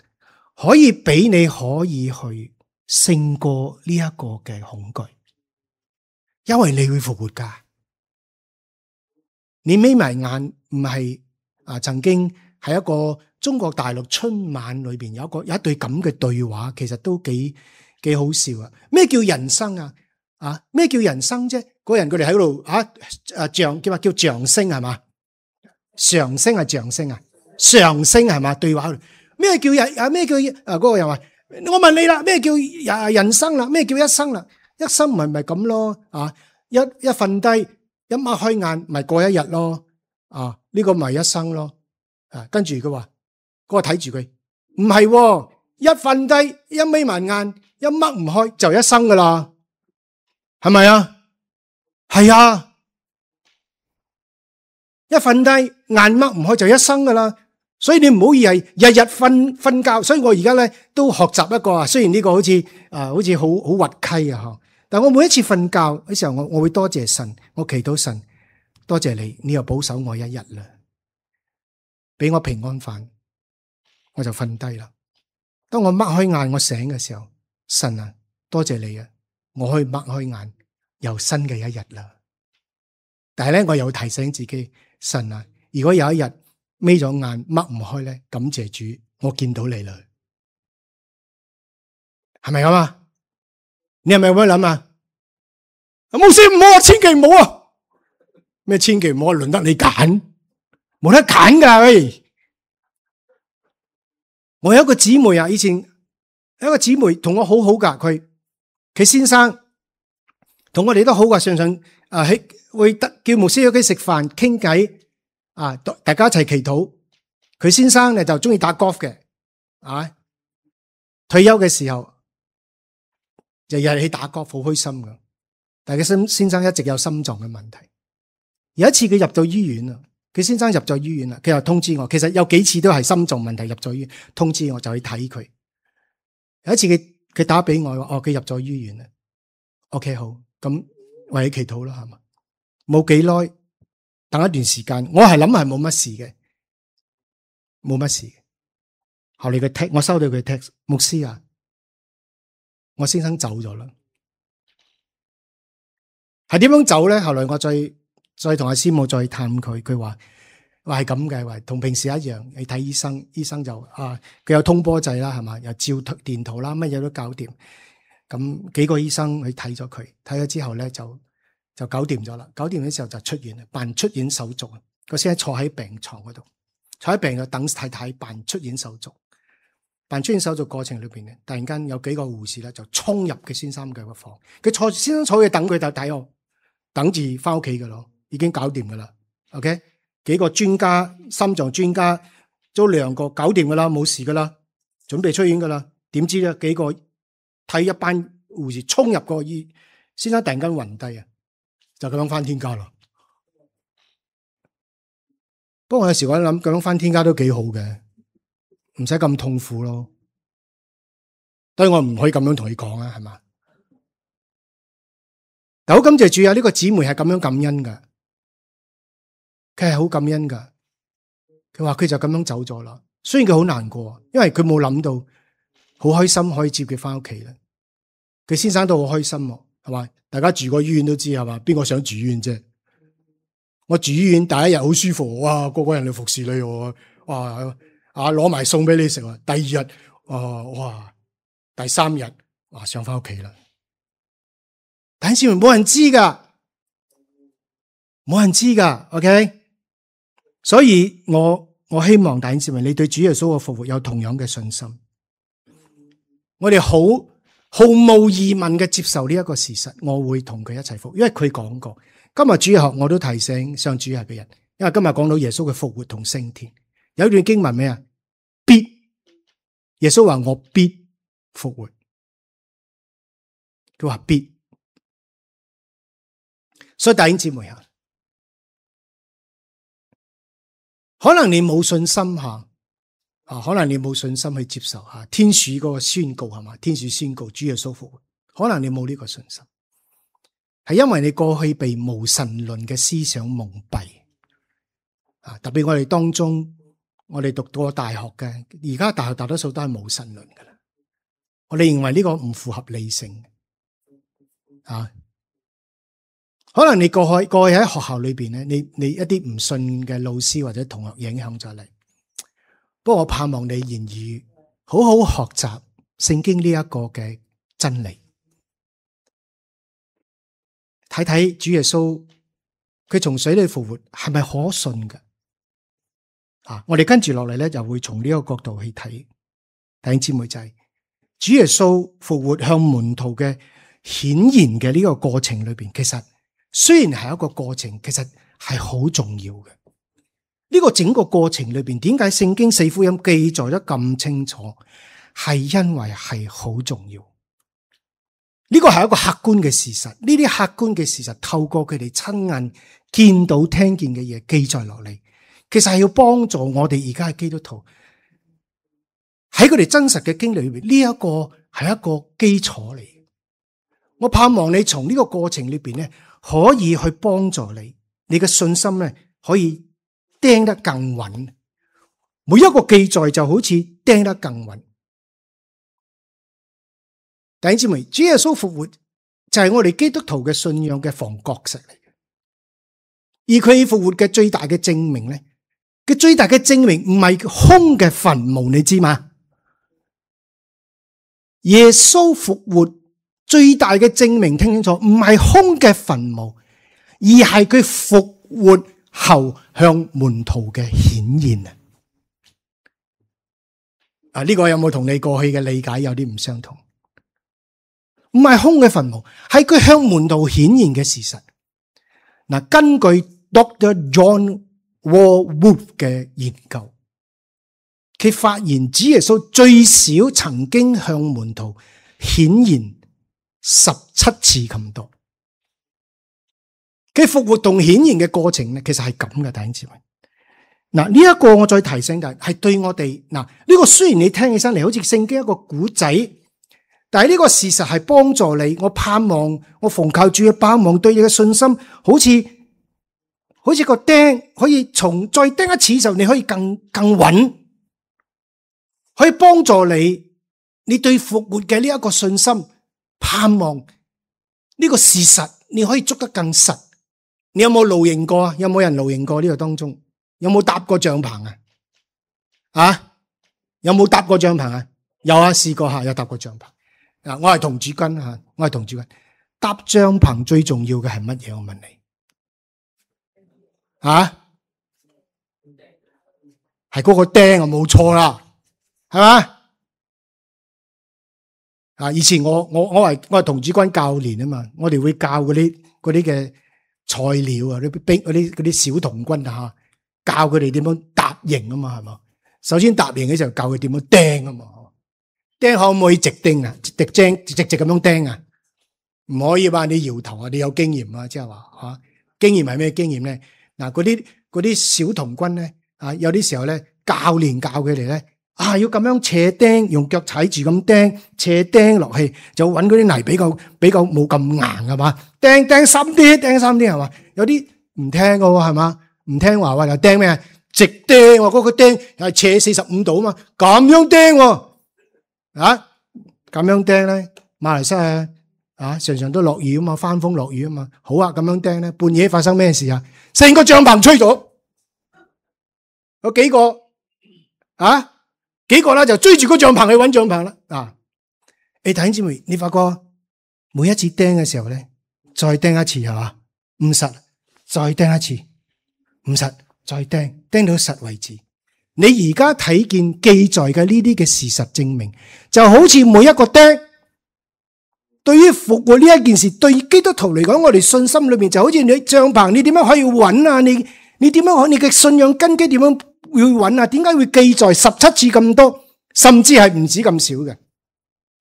可以俾你可以去勝過呢一個嘅恐懼，因為你會復活噶。你眯埋眼，唔係啊？曾經喺一個中國大陸春晚裏邊有一個有一對咁嘅對話，其實都幾幾好笑啊！咩叫人生啊？啊，咩叫人生啫？嗰人佢哋喺嗰度啊，啊漲叫話叫漲升係嘛？上升係漲升啊？上升係嘛？對話咩叫人啊？咩叫啊？嗰個人話：我問你啦，咩叫啊人生啦？咩叫一生啦？一生咪咪咁咯啊！一一瞓低，一擘開眼，咪過一日咯啊！呢個咪一生咯啊！跟住佢話，嗰個睇住佢，唔係，一瞓低，一眯埋眼，一擘唔開就一生噶啦，係咪啊？係啊，一瞓低眼擘唔開就一生噶啦，所以你唔好以為日日瞓瞓覺。所以我而家咧都學習一個啊，雖然呢個好似啊好似好好滑稽啊嗬，但我每一次瞓覺嘅時候，我我會多謝神，我祈禱神，多謝你，你又保守我一日啦，俾我平安飯，我就瞓低啦。當我擘開眼，我醒嘅時候，神啊，多謝你啊，我可以擘開眼。又新嘅一日啦，但係咧，我又提醒自己，神啊，如果有一日眯咗眼擘唔開咧，感謝主，我見到你啦，係咪咁啊？你係咪咁樣諗啊？冇事唔好啊，千祈唔好啊！咩千祈唔好啊？輪得你揀，冇得揀噶喂！我有一個姊妹啊，以前有一個姊妹同我好好噶，佢佢先生。同我哋都好噶，常常啊喺會得叫牧師喺屋企食飯傾偈啊，大家一齊祈禱。佢先生咧就中意打 golf 嘅，啊，退休嘅時候日日去打 golf，好開心噶。但係佢先先生一直有心臟嘅問題。有一次佢入到醫院啦，佢先生入咗醫院啦，佢又通知我。其實有幾次都係心臟問題入咗醫院，通知我就去睇佢。有一次佢佢打俾我話，哦，佢入咗醫院啦。OK 好。咁為你祈禱啦，係嘛？冇幾耐，等一段時間，我係諗係冇乜事嘅，冇乜事。後嚟佢 text，我收到佢 text，牧師啊，我先生走咗啦。係點樣走咧？後來我再再同阿師母再探佢，佢話話係咁嘅，話同平時一樣，你睇醫生，醫生就啊，佢有通波仔啦，係嘛，又照電圖啦，乜嘢都搞掂。咁幾個醫生去睇咗佢，睇咗之後咧就就搞掂咗啦。搞掂嘅時候就出院啦，辦出院手續。個先生坐喺病床嗰度，坐喺病度等太太辦出院手續。辦出院手續過程裏邊咧，突然間有幾個護士咧就衝入佢先生嘅個房，佢坐先生坐喺等佢就睇我。等住翻屋企噶咯，已經搞掂噶啦。OK， 幾個專家，心臟專家都兩個搞掂噶啦，冇事噶啦，準備出院噶啦。點知咧，幾個睇一班護士衝入個醫，先生突然間暈低啊，就咁樣翻天家咯。不過我有時我諗，咁樣翻天家都幾好嘅，唔使咁痛苦咯。所以我唔可以咁樣同你講啊，係嘛？好感謝主啊！呢個姊妹係咁樣感恩噶，佢係好感恩噶。佢話佢就咁樣走咗啦。雖然佢好難過，因為佢冇諗到，好開心可以接佢翻屋企啦。佢先生都好開心，係嘛？大家住過醫院都知係嘛？邊個想住院啫？我住醫院第一日好舒服，哇！個個人嚟服侍你，哇！啊，攞埋餸俾你食。第二日，啊，哇！第三日，哇，想翻屋企啦。弟兄姊妹，冇人知噶，冇人知噶 ，OK。所以我我希望弟兄姊妹，你對主耶穌嘅復活有同樣嘅信心。我哋好毫無疑問嘅接受呢一個事實，我會同佢一齊復活，因為佢講過。今日主日學我都提醒上主日嘅人，因為今日講到耶穌嘅復活同升天，有一段經文咩啊？必耶穌話我必復活，佢話必。所以弟兄姊妹啊，可能你冇信心吓，啊，可能你冇信心去接受吓天使嗰個宣告係嘛？天使宣告主耶穌復活，可能你冇呢個信心，係因為你過去被無神論嘅思想蒙蔽啊！特別我哋當中，我哋讀過大學嘅，而家大學大多數都係無神論噶啦。我哋認為呢個唔符合理性啊。可能你過去過去喺學校裏邊咧，你你一啲唔信嘅老師或者同學影響咗你。不過我盼望你言語好好學習聖經呢一個嘅真理，睇睇主耶穌佢從死裏復活係咪可信嘅？啊，我哋跟住落嚟咧，就會從呢個角度去睇。弟兄姊妹仔，主耶穌復活向門徒嘅顯現嘅呢個過程裏邊，其實。雖然係一個過程，其實係好重要嘅。呢個整個過程裏邊，點解聖經四福音記載得咁清楚？係因為係好重要。呢個係一個客觀嘅事實。呢啲客觀嘅事實透過佢哋親眼見到、聽見嘅嘢記載落嚟，其實係要幫助我哋而家嘅基督徒喺佢哋真實嘅經歷裏邊，呢一個係一個基礎嚟。我盼望你從呢個過程裏邊咧，可以去幫助你，你嘅信心咧可以釘得更穩。每一個記載就好似釘得更穩。弟兄姊妹，主耶穌復活就係我哋基督徒嘅信仰嘅房角石嚟嘅。而佢復活嘅最大嘅證明咧，嘅最大嘅證明唔係空嘅墳墓，你知嗎？耶穌復活。最大嘅證明，聽清楚，唔係空嘅墳墓，而係佢復活後向門徒嘅顯現啊！啊，呢個有冇同你過去嘅理解有啲唔相同？唔係空嘅墳墓，係佢向門徒顯現嘅事實。嗱，根據 Doctor John Walwood 嘅研究，佢發現主耶穌最少曾經向門徒顯現十七次咁多，佢復活同顯現嘅過程咧，其實係咁嘅，弟兄姊妹。嗱，呢一個我再提醒就係，係對我哋嗱，呢個雖然你聽起身嚟好似聖經一個古仔，但係呢個事實係幫助你。我盼望我奉靠主嘅盼望，對你嘅信心，好似好似個釘可以從再釘一次嘅時候，你可以更更穩，可以幫助你，你對復活嘅呢一個信心、盼望呢個事實，你可以捉得更實。你有冇露營過啊？有冇人露營過呢個當中？有冇搭過帳篷啊？啊？有冇搭過帳篷啊？有啊，試過下，有搭過帳篷。嗱，我係童子軍吓，我係童子軍。搭帳篷最重要嘅係乜嘢？我問你，啊？係嗰個釘啊，冇錯啦，係嘛？啊！以前我我我係我係童子軍教練啊嘛，我哋會教嗰啲嗰啲嘅菜鳥啊，啲兵嗰啲嗰啲小童軍啊，教佢哋點樣搭營啊嘛，係嘛？首先搭營嘅時候教佢點樣釘啊嘛，釘可唔可以直釘啊？直釘直直咁樣釘啊？唔可以話你搖頭啊！你有經驗啊，即係話吓經驗係咩經驗咧？嗱，嗰啲嗰啲小童軍咧啊，有啲時候咧教練教佢哋咧。啊！要咁樣斜釘，用腳踩住咁釘，斜釘落去，就揾嗰啲泥比較比較冇咁硬係嘛？釘釘深啲，釘深啲係嘛？有啲唔聽嘅喎係嘛？唔聽話話又釘咩？直釘喎，嗰個釘係斜四十五度啊嘛，咁樣釘喎，啊咁樣釘咧，馬來西亞啊常常都落雨啊嘛，翻風落雨啊嘛，好啊咁樣釘咧，半夜發生咩事啊？成個帳篷吹咗，有幾個啊？幾個啦就追住個帳篷去揾帳篷啦啊！你弟兄姊妹，你發覺每一次釘嘅時候咧，再釘一次係嘛？唔實，再釘一次，唔實，再釘，釘到實為止。你而家睇見記載嘅呢啲嘅事實證明，就好似每一個釘，對於復活呢一件事，對基督徒嚟講，我哋信心裏面就好似你帳篷，你點樣可以穩啊？你你點樣可？你嘅信仰根基點樣？會揾啊？點解會記載十七次咁多，甚至係唔止咁少嘅？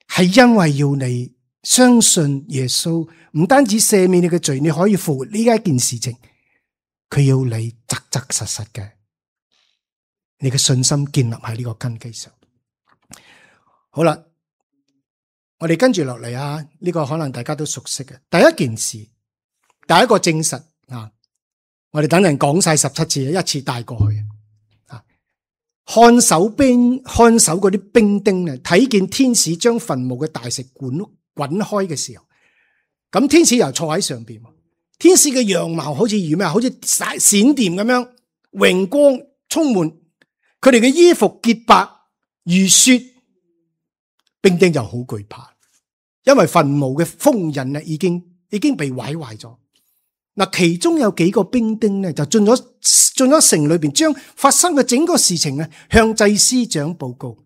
係因為要你相信耶穌，唔單止赦免你嘅罪，你可以復活呢一件事情。佢要你扎扎實實嘅，你嘅信心建立喺呢個根基上。好啦，我哋跟住落嚟啊，呢個可能大家都熟悉嘅第一件事，第一個證實啊，我哋等人講晒十七次，一次帶過去。看守兵看守嗰啲兵丁咧，睇見天使將墳墓嘅大石滾滾開嘅時候，咁天使又坐喺上邊。天使嘅樣貌好似如咩？好似閃閃電咁樣，榮光充滿。佢哋嘅衣服潔白如雪，兵丁就好懼怕，因為墳墓嘅封印啊，已經已經被毀壞咗。嗱，其中有幾個兵丁咧，就進咗進咗城裏邊，將發生嘅整個事情咧，向祭司長報告。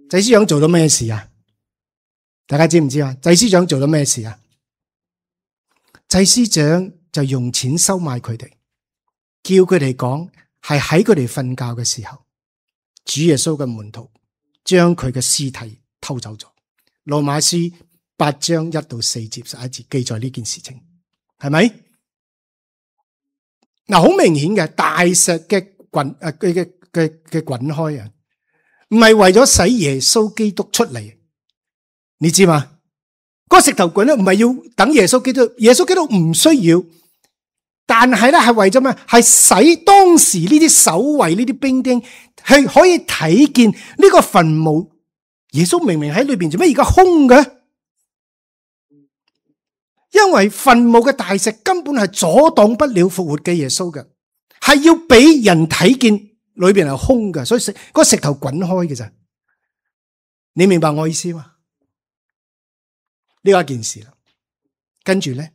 祭司長做咗咩事啊？大家知唔知啊？祭司長做咗咩事啊？祭司長就用錢收買佢哋，叫佢哋講係喺佢哋瞓覺嘅時候，主耶穌嘅門徒將佢嘅屍體偷走咗。羅馬書八章一到四節十一節記載呢件事情，係咪？嗱，好明顯嘅大石嘅滾誒嘅嘅嘅嘅滾開啊，唔係為咗使耶穌基督出嚟，你知嘛？嗰個石頭滾咧，唔係要等耶穌基督，耶穌基督唔需要，但係咧係為咗咩？係使當時呢啲守衛呢啲兵丁係可以睇見呢個墳墓，耶穌明明喺裏邊，做咩而家空嘅？因為墳墓嘅大石根本係阻擋不了復活嘅耶穌嘅，係要俾人睇見裏邊係空嘅，所以石嗰個石頭滾開嘅咋？你明白我意思嘛？呢個一件事啦。跟住咧，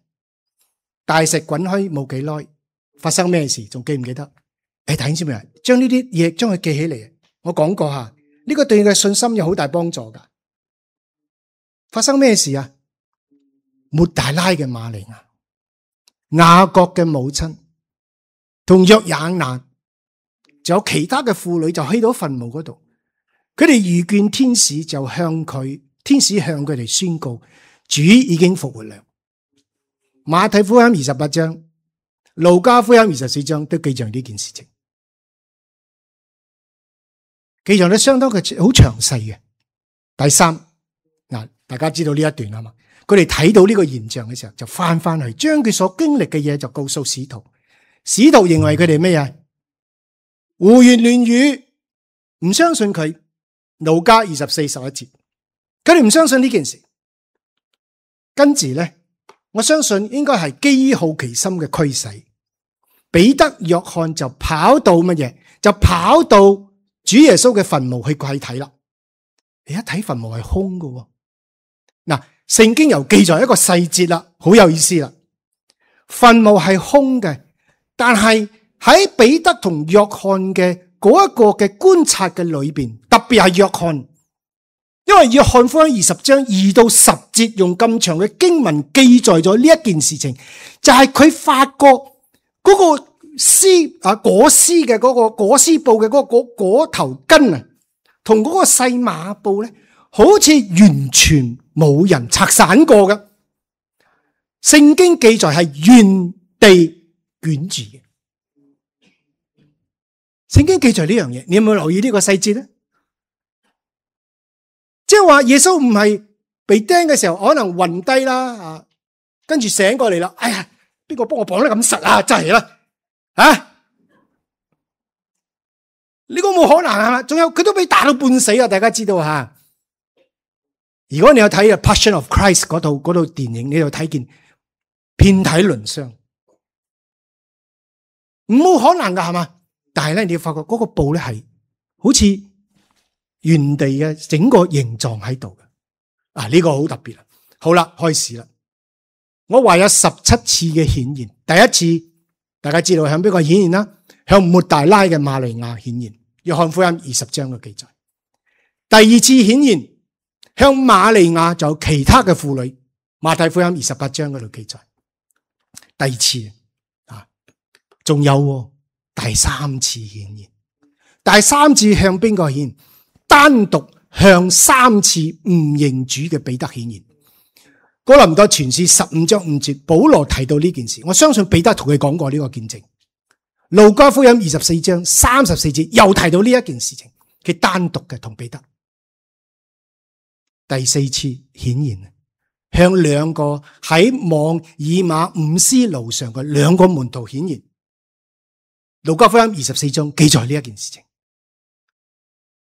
大石滾開冇幾耐，發生咩事？仲記唔記得？誒，弟兄姊妹，將呢啲嘢將佢記起嚟。我講過下，呢個對你嘅信心有好大幫助噶。發生咩事啊？抹大拉嘅瑪利亞、雅各嘅母親同約雅難，仲有其他嘅婦女就去到墳墓嗰度，佢哋遇見天使，就向佢，天使向佢哋宣告主已經復活了。馬太福音二十八章、路加福音二十四章都記載呢件事情，記載得相當嘅好詳細嘅。第三，嗱，大家知道呢一段啊嘛？佢哋睇到呢個現象嘅時候，就翻翻去將佢所經歷嘅嘢就告訴使徒。使徒認為佢哋咩嘢？胡言亂語，唔相信佢。路加二十四十一節，佢哋唔相信呢件事。跟住咧，我相信應該係基於好奇心嘅驅使，彼得、約翰就跑到乜嘢？就跑到主耶穌嘅墳墓去睇睇啦。你一睇墳墓係空嘅，嗱，聖經又記載一個細節啦，好有意思啦。墳墓係空嘅，但係喺彼得同約翰嘅嗰一個嘅觀察嘅裏邊，特別係約翰，因為約翰福音二十章二到十節用咁長嘅經文記載咗呢一件事情，就係佢發覺嗰個絲啊裹絲嘅嗰個裹絲布嘅嗰個裹裹頭巾啊，同嗰個細麻布咧，好似完全冇人拆散過嘅。聖經記載係原地捲住嘅。聖經記載呢樣嘢，你有冇留意呢個細節咧？即係話耶穌唔係被釘嘅時候可能暈低啦，啊，跟住醒過嚟啦，哎呀，邊個幫我綁得咁實啊？真係啦，啊，呢個冇可能係嘛？仲有佢都俾打到半死啊！大家知道吓。如果你有睇《Passion of Christ》嗰套嗰套電影，你就睇見遍體鱗傷，冇可能噶係嘛？但係咧，你要發覺嗰個布咧係好似原地嘅整個形狀喺度嘅。啊，呢個好特別啦。好啦，開始啦。我話有十七次嘅顯現，第一次大家知道向邊個顯現啦？向抹大拉嘅瑪利亞顯現，約翰福音二十章嘅記載。第二次顯現向瑪利亞，就有其他嘅婦女，馬太福音二十八章嗰度記載。第二次啊，仲有第三次顯現，第三次向邊個顯？單獨向三次唔認主嘅彼得顯現。哥林多前書十五章五節，保羅提到呢件事，我相信彼得同佢講過呢個見證。路加福音二十四章三十四節又提到呢一件事情，佢單獨嘅同彼得。第四次顯現，向兩個喺望以馬五斯路上嘅兩個門徒顯現。路加福音二十四章記載呢一件事情。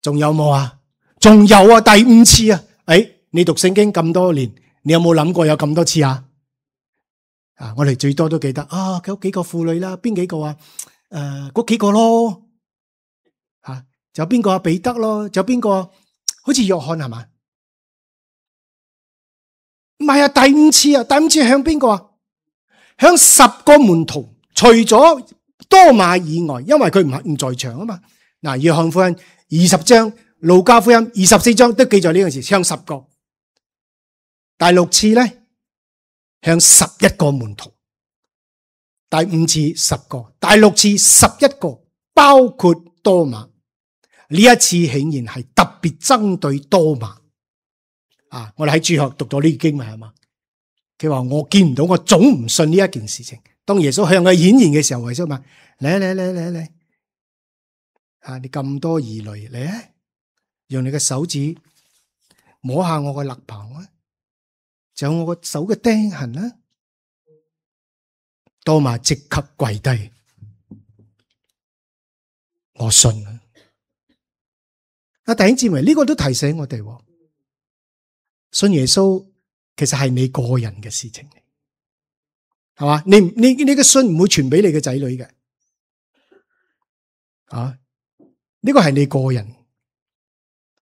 仲有冇啊？仲有啊！第五次啊！誒，你讀聖經咁多年，你有冇諗過有咁多次啊？啊，我哋最多都記得啊，有幾個婦女啦，邊幾個啊？誒、呃，嗰幾個咯，吓、啊，仲有邊個啊？彼得咯，仲有邊個、啊？好似約翰係嘛？唔係啊，第五次啊，第五次向邊個啊？向十個門徒，除咗多馬以外，因為佢唔係唔在場啊嘛。嗱，約翰福音二十章、路加福音二十四章都記載呢件事，向十個。第六次咧，向十一個門徒。第五次十個，第六次十一個，包括多馬。呢一次顯然係特別針對多馬。啊，我哋喺主學讀咗呢經文係嘛？佢話我見唔到，我總唔信呢一件事情。當耶穌向佢顯現嘅時候，耶穌問：嚟嚟嚟嚟嚟，啊，你咁多疑慮嚟，用你嘅手指摸下我嘅肋旁啊，就有我個手嘅釘痕啦。多馬即刻跪低，我信啦。啊，弟兄姊妹，呢個都提醒我哋，信耶穌其實係你個人嘅事情嚟，係嘛？你你你嘅信唔會傳俾你嘅仔女嘅，啊？呢個係你個人，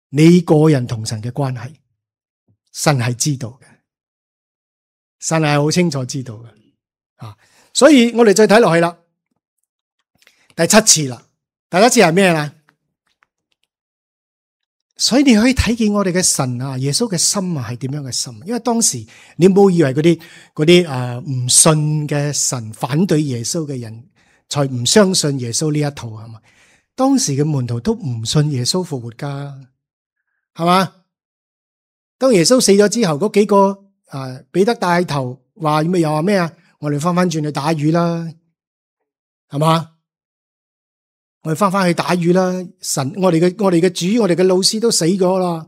你個人同神嘅關係，神係知道嘅，神係好清楚知道嘅，啊！所以我哋再睇落去啦，第七次啦，第七次係咩啦？所以你可以睇見我哋嘅神啊，耶穌嘅心啊係點樣嘅心？因為當時你冇以為嗰啲嗰啲誒唔信嘅神反對耶穌嘅人，才唔相信耶穌呢一套係嘛？當時嘅門徒都唔信耶穌復活噶，係嘛？當耶穌死咗之後，嗰幾個誒彼得帶頭話咩又話咩啊？我哋翻翻轉去打魚啦，係嘛？我哋翻翻去打魚啦！神，我哋嘅我哋嘅主，我哋嘅老師都死咗啦。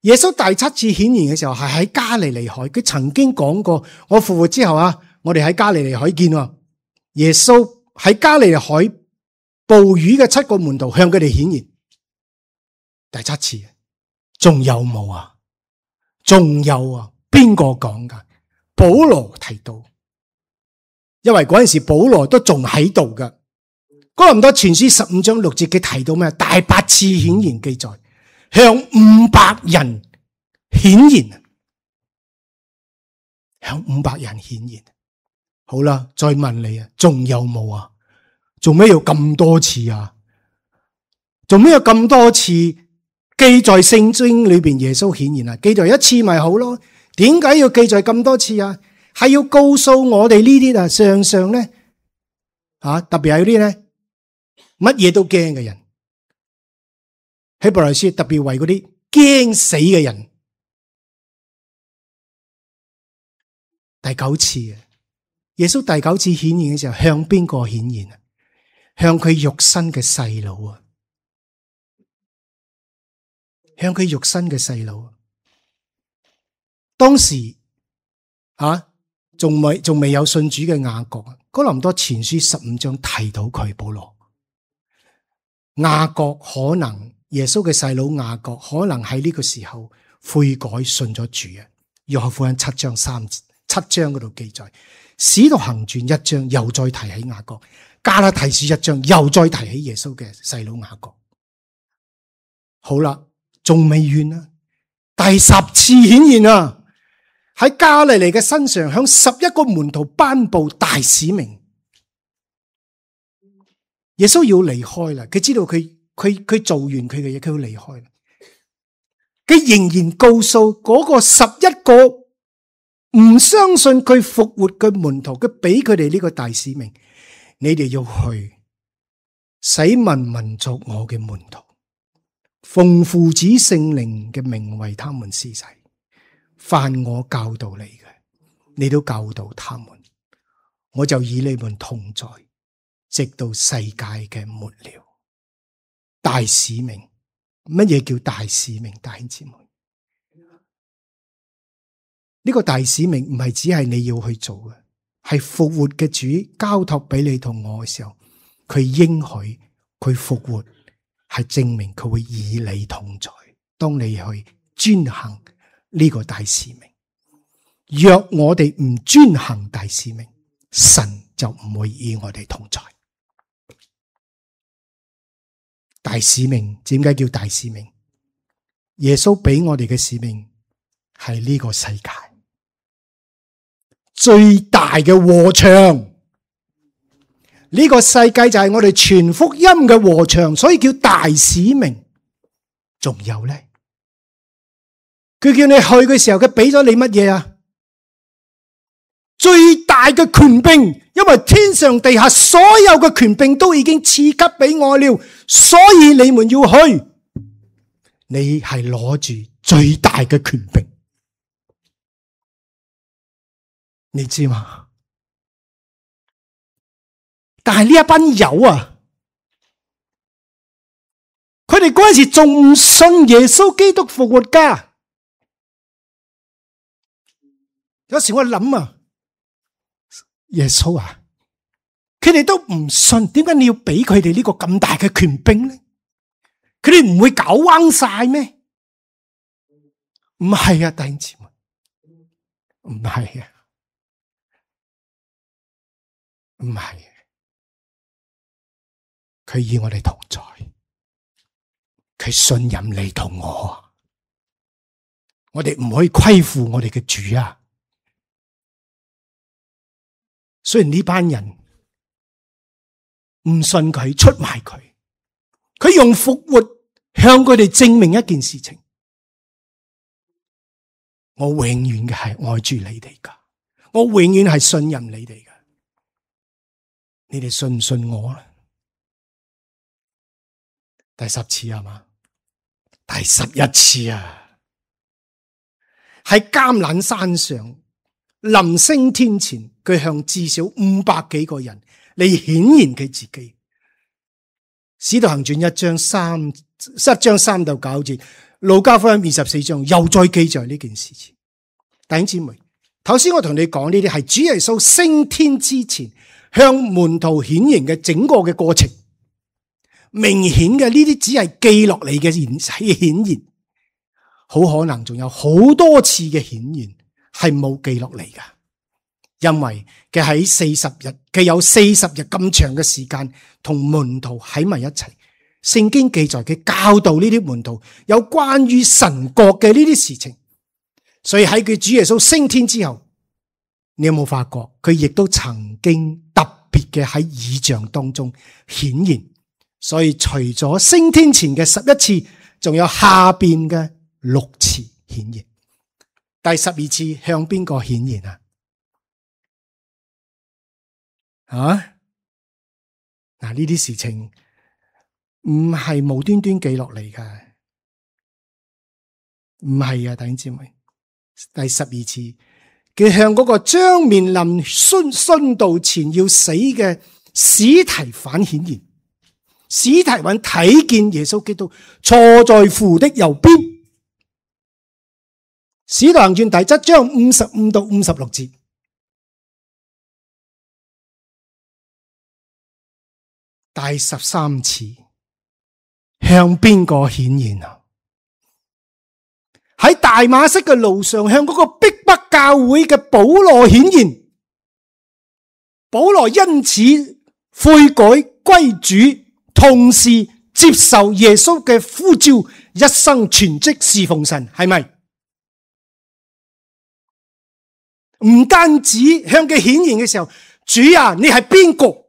耶穌第七次顯現嘅時候係喺加利利海，佢曾經講過：我復活之後啊，我哋喺加利利海見。耶穌喺加利利海捕魚嘅七個門徒向佢哋顯現，第七次，仲有冇啊？仲有啊？邊個講噶？保羅提到，因為嗰陣時保羅都仲喺度噶。哥林多前書十五章六節佢提到咩？第八次顯現記載，向五百人顯現，向五百人顯現。好啦，再問你啊，仲有冇啊？做咩要咁多次啊？做咩有咁多次記載聖經裏邊耶穌顯現啊？記載一次咪好咯？點解要記載咁多次啊？係要告訴我哋呢啲啊，常常咧吓，特別係嗰啲咧乜嘢都驚嘅人，希伯來書特別為嗰啲驚死嘅人。第九次啊，耶穌第九次顯現嘅時候，向邊個顯現啊？向佢肉身嘅細佬啊，向佢肉身嘅細佬。當時啊，仲未仲未有信主嘅雅各，哥林多前書十五章提到佢保羅。雅各可能耶穌嘅細佬雅各可能喺呢個時候悔改信咗主啊。約翰福音七章三七章嗰度記載，使徒行傳一章又再提起雅各，加拉太書一章又再提起耶穌嘅細佬雅各。好啦，仲未完啊，第十次顯現啊！喺加利利嘅身上，向十一個門徒頒布大使命。耶穌要離開啦，佢知道佢佢佢做完佢嘅嘢，佢要離開啦。佢仍然告訴嗰個十一個唔相信佢復活嘅門徒，佢俾佢哋呢個大使命：你哋要去，使萬民作我嘅門徒，奉父子聖靈嘅名為他們施洗。凡我教導你嘅，你都教導他們，我就與你們同在，直到世界嘅末了。大使命，乜嘢叫大使命？弟兄姊妹，呢個大使命唔係只係你要去做嘅，係復活嘅主交託俾你同我嘅時候，佢應許佢復活，係證明佢會與你同在。當你去遵行呢個大使命，若我哋唔遵行大使命，神就唔會與我哋同在。大使命點解叫大使命？耶穌俾我哋嘅使命係呢個世界最大嘅禾場，呢個世界就係我哋傳福音嘅禾場，所以叫大使命。仲有咧，佢叫你去嘅時候，佢俾咗你乜嘢啊？最大嘅權柄，因為天上地下所有嘅權柄都已經賜給俾我了，所以你們要去。你係攞住最大嘅權柄，你知嘛？但係呢一班友啊，佢哋嗰陣時仲唔信耶穌基督復活噶。有時我諗啊，耶穌啊，佢哋都唔信，點解你要俾佢哋呢個咁大嘅權柄呢？佢哋唔會搞彎晒咩？唔係啊，弟兄姊妹，唔係啊，唔係啊，佢與我哋同在，佢信任你同我，我哋唔可以虧負我哋嘅主啊！雖然呢班人唔信佢，出賣佢，佢用復活向佢哋證明一件事情：我永遠嘅係愛住你哋噶，我永遠係信任你哋噶。你哋信唔信我啊？第十次係嘛？第十一次啊！喺橄欖山上臨升天前，佢向至少五百幾個人嚟顯現佢自己。使徒行傳一章三一章三到九節，路加福音二十四章又再記載呢件事情。弟兄姊妹，頭先我同你講呢啲係主耶穌升天之前向門徒顯現嘅整個嘅過程，明顯嘅呢啲只係記落嚟嘅顯顯現，好可能仲有好多次嘅顯現係冇記落嚟噶，因為佢喺四十日，佢有四十日咁長嘅時間同門徒喺埋一齊。聖經記載佢教導呢啲門徒有關於神國嘅呢啲事情，所以喺佢主耶穌升天之後，你有冇發覺佢亦都曾經特別嘅喺異象當中顯現？所以除咗升天前嘅十一次，仲有下邊嘅六次顯現。第十二次向邊個顯現啊？啊？嗱，呢啲事情唔係無端端記落嚟㗎，唔係啊，弟兄姊妹。第十二次，佢向嗰個將面臨殉殉道前要死嘅司提反顯現。司提反睇見耶穌基督坐在父的右邊。使徒行傳第七章五十五到五十六節。第十三次向邊個顯現啊？喺大馬色嘅路上，向嗰個逼迫教會嘅保羅顯現。保羅因此悔改歸主，同時接受耶穌嘅呼召，一生全職侍奉神，係咪？唔單止向佢顯現嘅時候，主啊，你係邊個？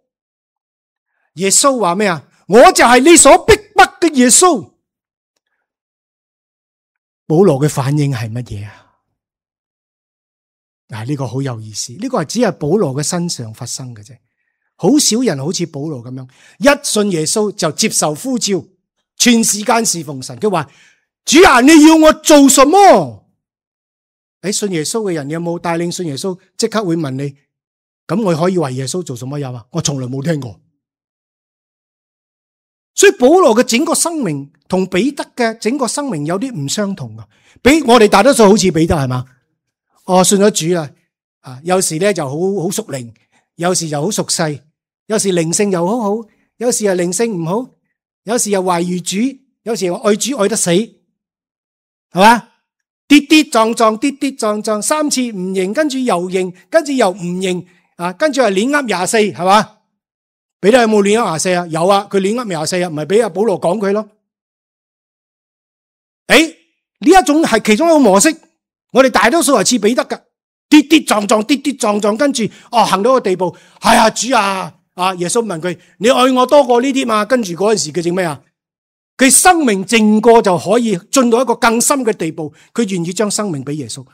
耶穌話咩啊？我就係你所逼迫嘅耶穌。保羅嘅反應係乜嘢啊？嗱，呢個好有意思，呢個係只係保羅嘅身上發生嘅啫。好少人好似保羅咁樣，一信耶穌就接受呼召，全時間侍奉神。佢話：主啊，你要我做什麼？喺信耶穌嘅人有冇帶領信耶穌？即刻會問你：咁我可以為耶穌做什麼有啊？我從來冇聽過。所以保羅嘅整個生命同彼得嘅整個生命有啲唔相同噶。比我哋大多數好似彼得係嘛？哦，信咗主啦，啊，有時咧就好好屬靈，有時又好屬世，有時靈性又好好，有時又靈性唔好，有時又懷疑主，有時又愛主愛得死，係嘛？跌跌撞撞，跌跌撞撞，三次唔認，跟住又認，跟住又唔認，啊，跟住係亂噏廿四，係嘛？彼得有冇亂噏廿四啊？有啊，佢亂噏廿四啊，唔係俾阿保羅講佢咯。誒，呢一種係其中一個模式，我哋大多數係似彼得噶，跌跌撞撞，跌跌撞撞，跟住哦行到個地步，係啊，主啊，啊耶穌問佢：你愛我多過呢啲嘛？跟住嗰陣時佢整咩啊？佢生命靜過就可以進到一個更深嘅地步，佢願意將生命俾耶穌。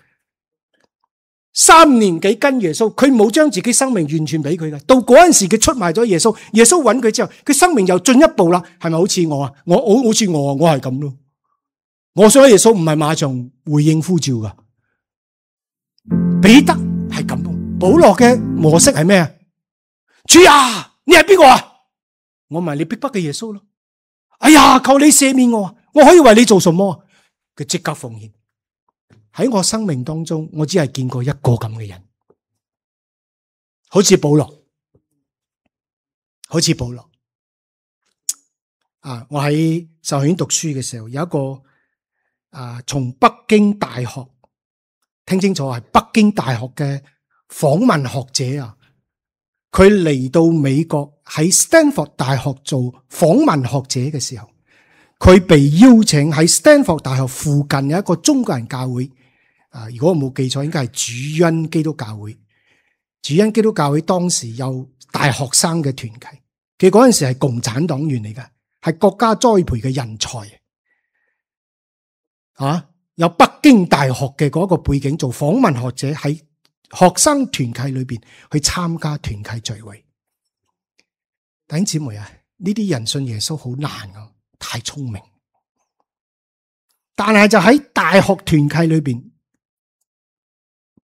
三年幾跟耶穌，佢冇將自己生命完全俾佢嘅。到嗰陣時佢出賣咗耶穌，耶穌揾佢之後，佢生命又進一步啦。係咪好似我啊？我好好似我啊，我係咁咯。我想耶穌唔係馬上回應呼召噶。彼得係咁，保羅嘅模式係咩啊？主啊，你係邊個啊？我咪你逼迫嘅耶穌咯。哎呀，求你赦免我，我可以為你做什麼？佢即刻奉獻。喺我生命當中，我只係見過一個咁嘅人，好似保羅，好似保羅。啊，我喺神學院讀書嘅時候，有一個啊，從北京大學，聽清楚係北京大學嘅訪問學者啊，佢嚟到美國喺 Stanford 大學做訪問學者嘅時候，佢被邀請喺 Stanford 大學附近有一個中國人教會。啊！如果我冇記錯，應該係主恩基督教會。主恩基督教會當時有大學生嘅團契，佢嗰陣時係共產黨員嚟㗎，係國家栽培嘅人才。啊！有北京大學嘅嗰個背景，做訪問學者喺學生團契裏邊去參加團契聚會。弟兄姊妹啊，呢啲人信耶穌好難啊，太聰明。但係就喺大學團契裏邊。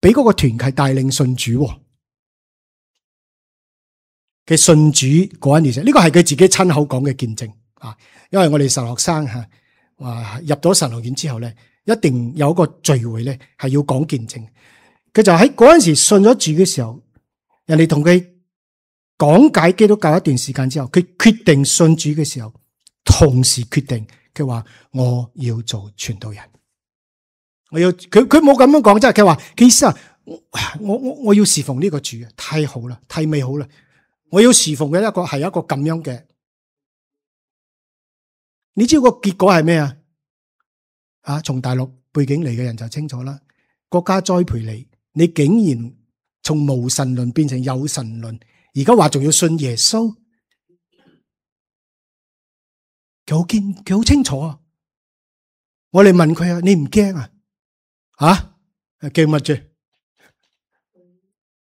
俾嗰個團契帶領信主嘅信主嗰一年，呢個係佢自己親口講嘅見證啊！因為我哋神學生吓，話入咗神學院之後咧，一定有一個聚會咧係要講見證。佢就喺嗰陣時信咗主嘅時候，人哋同佢講解基督教一段時間之後，佢決定信主嘅時候，同時決定佢話我要做傳道人。我要佢佢冇咁樣講，即係佢話佢意思啊，我我我要侍奉呢個主啊，太好啦，太美好啦！我要侍奉嘅一個係一個咁樣嘅。你知道個結果係咩啊？啊，從大陸背景嚟嘅人就清楚啦。國家栽培你，你竟然從無神論變成有神論，而家話仲要信耶穌，佢好堅，佢好清楚啊！我哋問佢啊，你唔驚啊？啊，驚乜啫？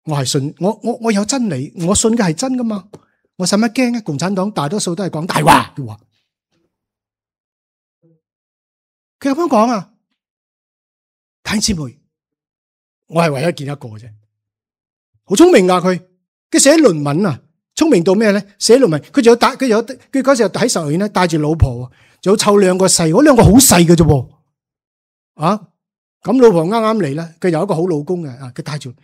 我係信，我我我有真理，我信嘅係真噶嘛？我使乜驚啊？共產黨大多數都係講大話嘅話。佢咁樣講啊，弟兄姊妹，我係唯一見一個啫，好聰明噶佢，佢寫論文啊，聰明到咩咧？寫論文，佢仲有帶，佢有佢嗰時候喺實驗咧，帶住老婆，仲有湊兩個細，嗰兩個好細嘅啫，啊，咁老婆啱啱嚟啦，佢有一個好老公嘅，啊，佢帶住，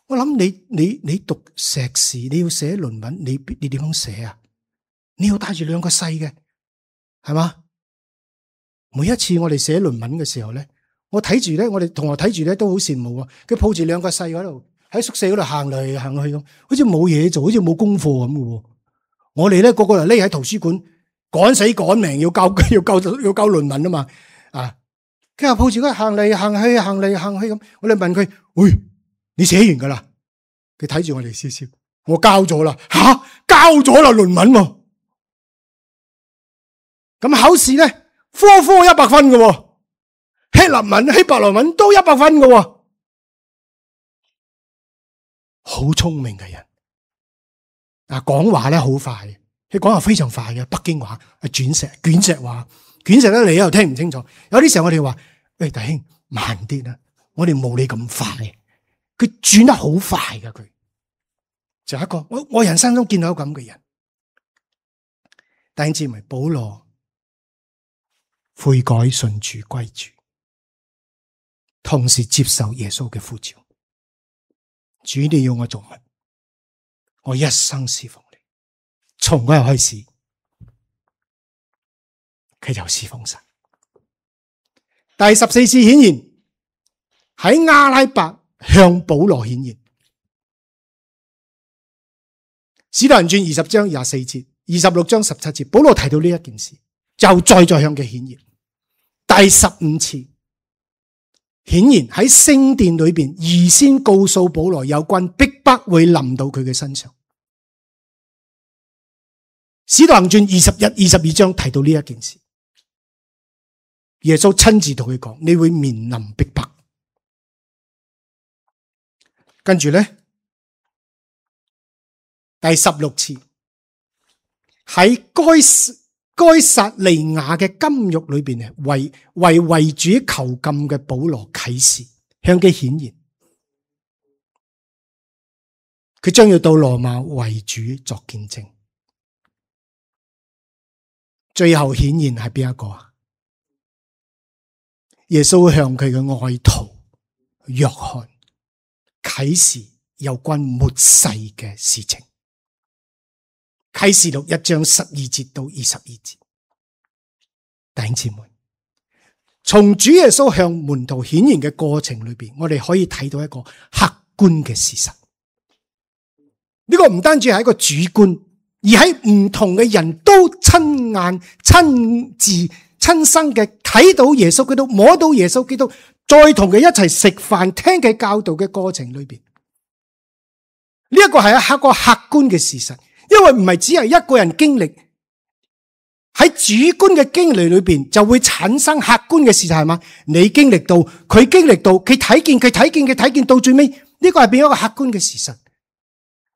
我諗你你你讀碩士，你要寫論文，你你點樣寫啊？你要帶住兩個細嘅，係嘛？每一次我哋寫論文嘅時候咧，我睇住咧，我哋同學睇住咧都好羨慕啊！佢抱住兩個細嗰度喺宿舍嗰度行嚟行去咁，好似冇嘢做，好似冇功課咁嘅。我哋咧個個就匿喺圖書館趕死趕命要交要交要交論文啊嘛！啊，佢又抱住佢行嚟行去行嚟行去咁，我哋問佢：喂，你寫完噶啦？佢睇住我哋笑笑，我交咗啦，吓交咗啦論文喎。咁考試咧？科科一百分嘅，希臘文、希伯來文都一百分嘅，好聰明嘅人。啊，講話咧好快，佢講話非常快嘅，北京話係卷石卷石話，卷石咧你又聽唔清楚。有啲時候我哋話：喂，弟兄慢啲啦，我哋冇你咁快。佢轉得好快嘅，佢就一個我我人生中見到咁嘅人。弟兄姊妹，保羅。悔改信主歸主，同時接受耶穌嘅呼召。主，你要我做乜？我一生侍奉你。從嗰日開始，佢就侍奉神。第十四次顯現喺阿拉伯向保羅顯現。使徒行傳二十章廿四節，二十六章十七節，保羅提到呢一件事，就再再向佢顯現。第十五次顯然喺聖殿裏邊，預先告訴保羅有關逼迫會臨到佢嘅身上。使徒行傳二十一、二十二章提到呢一件事，耶穌親自同佢講：你會面臨逼迫。跟住咧，第十六次喺該該撒利亞嘅監獄裏邊，為為為主囚禁嘅保羅啟示，向佢顯現，佢將要到羅馬為主作見證。最後顯現係邊一個啊？耶穌向佢嘅愛徒約翰啟示有關末世嘅事情。啟示錄一章十二節到二十二節，弟兄姊妹，從主耶穌向門徒顯現嘅過程裏邊，我哋可以睇到一個客觀嘅事實。呢個唔單止係一個主觀，而喺唔同嘅人都親眼、親自、親身嘅睇到耶穌基督，摸到耶穌基督，再同佢一齊食飯、聽佢教導嘅過程裏邊，呢一個係一個客觀嘅事實。因為唔係只係一個人經歷，喺主觀嘅經歷裏邊就會產生客觀嘅事實，係嘛？你經歷到，佢經歷到，佢睇見，佢睇見，佢睇見，到最尾呢個係變一個客觀嘅事實，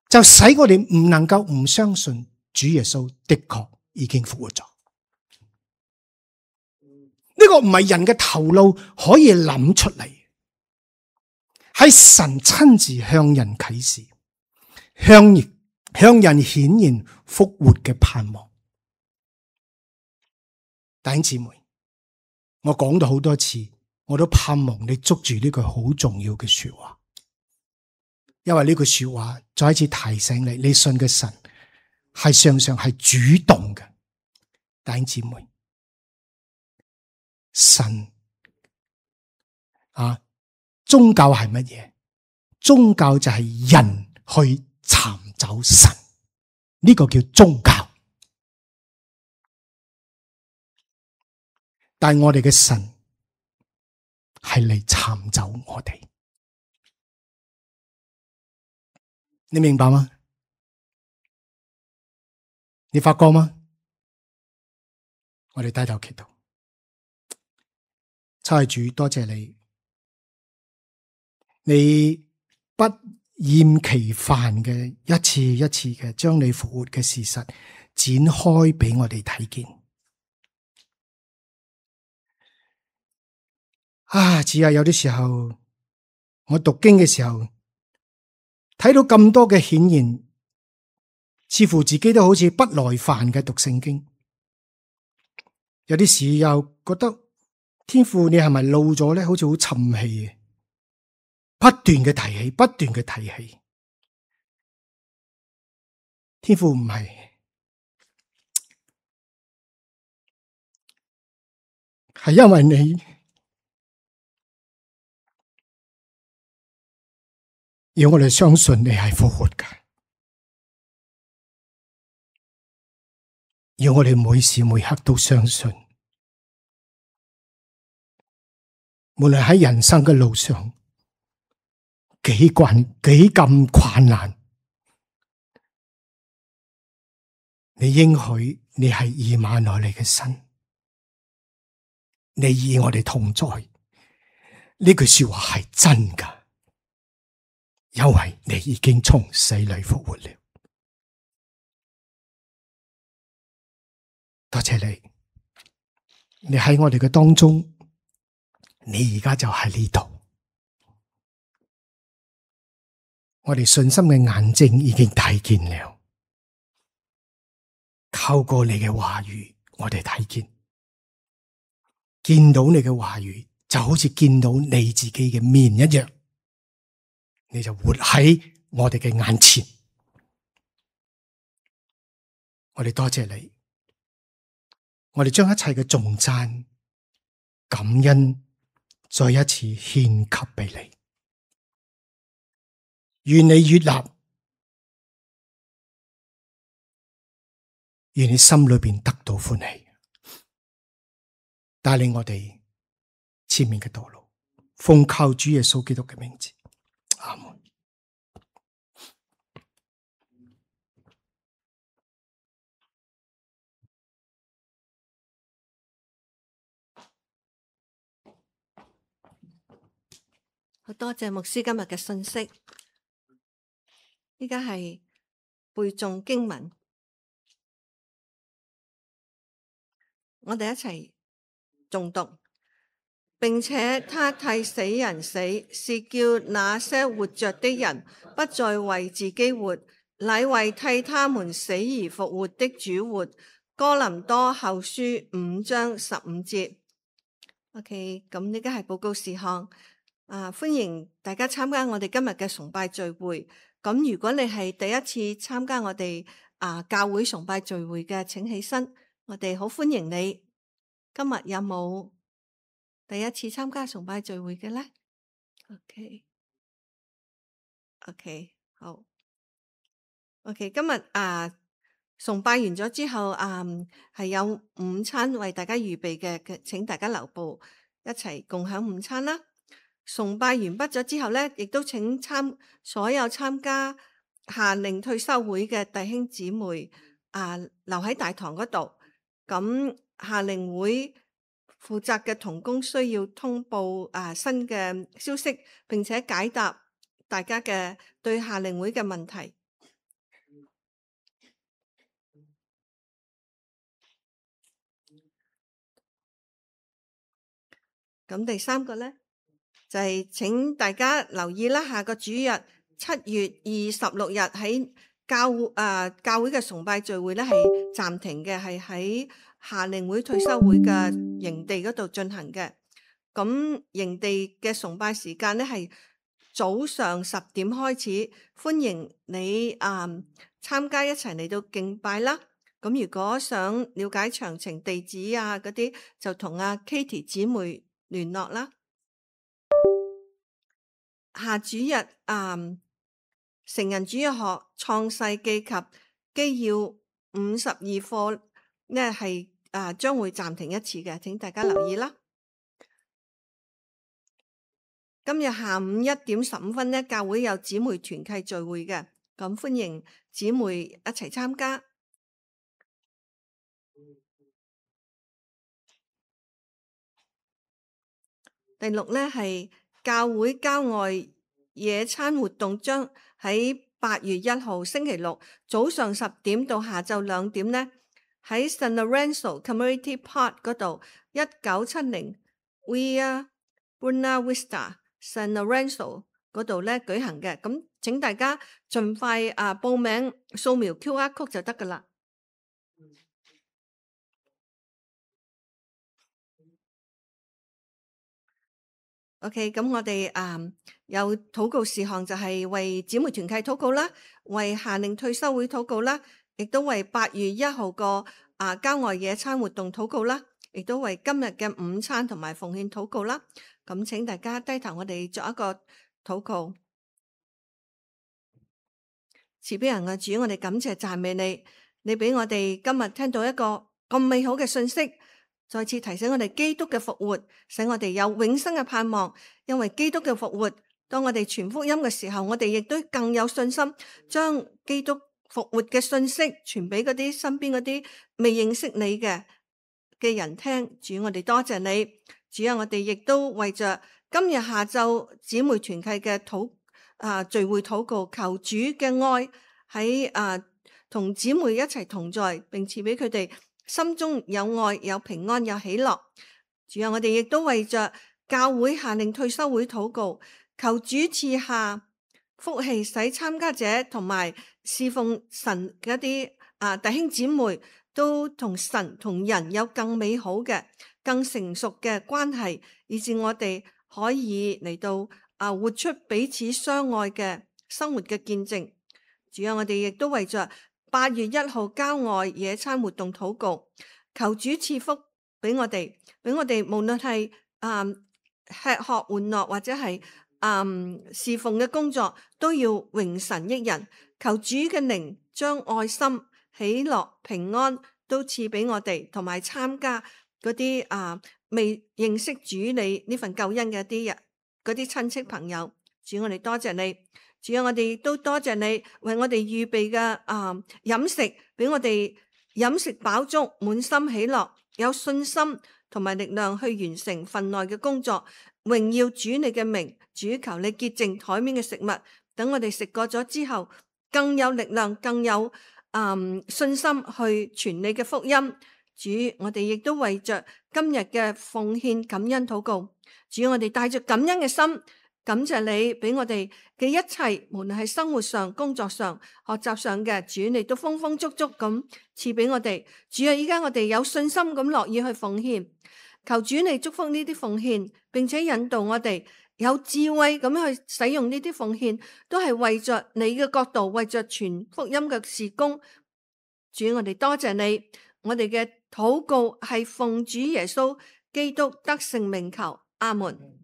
就使我哋唔能夠唔相信主耶穌的確已經復活咗。呢個唔係人嘅頭腦可以諗出嚟，係神親自向人啟示，向人。向人顯現復活嘅盼望。弟兄姊妹，我講咗好多次，我都盼望你捉住呢句好重要嘅說話，因為呢句說話再一次提醒你，你信嘅神係常常係主動嘅。弟兄姊妹，神啊，宗教係乜嘢？宗教就係人去尋找神，呢個叫宗教。但係我哋嘅神係嚟尋找我哋，你明白嗎？你發覺嗎？我哋低頭祈禱，親愛主，多謝你，你不厭其煩嘅一次一次嘅將你復活嘅事實展開俾我哋睇見。啊，只係有啲時候，我讀經嘅時候睇到咁多嘅顯現，似乎自己都好似不耐煩嘅讀聖經。有啲時又覺得天父你係咪老咗咧？好似好沉氣嘅，不斷嘅提起，不斷嘅提起。天父唔係，係因為你要我哋相信你係復活嘅，要我哋每時每刻都相信。無論喺人生嘅路上幾困幾咁困難，你應許你係以馬內利嘅神，你與我哋同在。呢句說話係真噶，因為你已經從死裏復活了。多謝你，你喺我哋嘅當中。你而家就喺呢度，我哋信心嘅眼睛已經睇見了。透過你嘅話語，我哋睇見，見到你嘅話語，就好似見到你自己嘅面一樣，你就活喺我哋嘅眼前。我哋多謝你，我哋將一切嘅頌讚、感恩。再一次獻給俾你，願你悅納，願你心裏邊得到歡喜，帶領我哋前面嘅道路，奉靠主耶穌基督嘅名字，阿門。好多謝牧師今日嘅信息，依家係背誦經文，我哋一齊誦讀，並且他替死人死，是叫那些活着的人不再為自己活，乃為替他們死而復活的主活。哥林多後書五章十五節。OK， 咁呢家係報告事項。啊！歡迎大家參加我哋今日嘅崇拜聚會。咁如果你係第一次參加我哋啊教會崇拜聚會嘅，請起身，我哋好歡迎你。今日有冇第一次參加崇拜聚會嘅咧 ？OK，OK， okay. Okay, 好。OK， 今日啊崇拜完咗之後，啊係有午餐為大家預備嘅，請大家留步，一齊共享午餐啦。崇拜完畢咗之後咧，亦都請參所有參加夏令退休會嘅弟兄姊妹啊，留喺大堂嗰度。咁夏令會負責嘅同工需要通報啊新嘅消息，並且解答大家嘅對夏令會嘅問題。咁第三個咧？就係請大家留意啦，下個主日七月二十六日喺教誒、呃、教會嘅崇拜聚會咧係暫停嘅，係喺夏令會退休會嘅營地嗰度進行嘅。咁營地嘅崇拜時間咧係早上十點開始，歡迎你啊參加一齊嚟到敬拜啦。咁如果想了解詳情地址啊嗰啲，就同阿 Katie 姊妹聯絡啦。下主日啊，成人主日學創世記及基要五十二課呢係啊將會暫停一次嘅，請大家留意啦。今日下午一點十五分呢，教會有姊妹團契聚會嘅，咁歡迎姊妹一齊參加。第六呢係教會郊外野餐活動，將喺八月一號星期六早上十點到下晝兩點呢，喺 San Lorenzo Community Park 嗰度一九七零 Via Buena Vista San Lorenzo 嗰度咧舉行嘅。咁請大家盡快啊報名，掃描 Q R code 就得噶啦。OK， 咁我哋啊、嗯、有禱告事項，就係為姊妹團契禱告啦，為夏令退休會禱告啦，亦都為八月一號個啊郊外野餐活動禱告啦，亦都為今日嘅午餐同埋奉獻禱告啦。咁請大家低頭，我哋作一個禱告。慈悲人嘅主，我哋感謝讚美你，你俾我哋今日聽到一個咁美好嘅信息。再次提醒我哋基督嘅復活，使我哋有永生嘅盼望。因為基督嘅復活，當我哋傳福音嘅時候，我哋亦都更有信心，將基督復活嘅信息傳俾嗰啲身邊嗰啲未認識你嘅嘅人聽。主，我哋多謝你。主啊，我哋亦都為着今日下晝姊妹團契嘅禱啊聚會禱告，求主嘅愛喺啊同姊妹一齊同在，並賜俾佢哋心中有愛、有平安、有喜樂。主啊，我哋亦都為着教會夏令退休會禱告，求主賜下福氣，使參加者同埋侍奉神嘅一啲啊弟兄姊妹都同神同人有更美好嘅、更成熟嘅關係，以致我哋可以嚟到啊活出彼此相愛嘅生活嘅見證。主啊，我哋亦都為着八月一號郊外野餐活動禱告，求主賜福俾我哋，俾我哋無論係啊吃喝玩樂或者係啊侍奉嘅工作，都要榮神益人。求主嘅靈將愛心、喜樂、平安都賜俾我哋，同埋參加嗰啲啊未認識主你呢份救恩嘅一啲人，嗰啲親戚朋友。主，我哋多謝你。主啊，我哋亦都多謝你為我哋預備嘅啊飲食，俾我哋飲食飽足，滿心喜樂，有信心同埋力量去完成份內嘅工作，榮耀主你嘅名。主，求你潔淨台面嘅食物，等我哋食過咗之後，更有力量，更有啊、嗯、信心去傳你嘅福音。主，我哋亦都為着今日嘅奉獻感恩禱告。主，我哋帶着感恩嘅心。感謝你俾我哋嘅一切，無論係生活上、工作上、學習上嘅，主你都豐豐足足咁賜俾我哋。主啊，依家我哋有信心咁樂意去奉獻，求主你祝福呢啲奉獻，並且引導我哋有智慧咁去使用呢啲奉獻，都係為着你嘅角度，為着傳福音嘅事工。主，我哋多謝你，我哋嘅禱告係奉主耶穌基督得勝名求，阿門。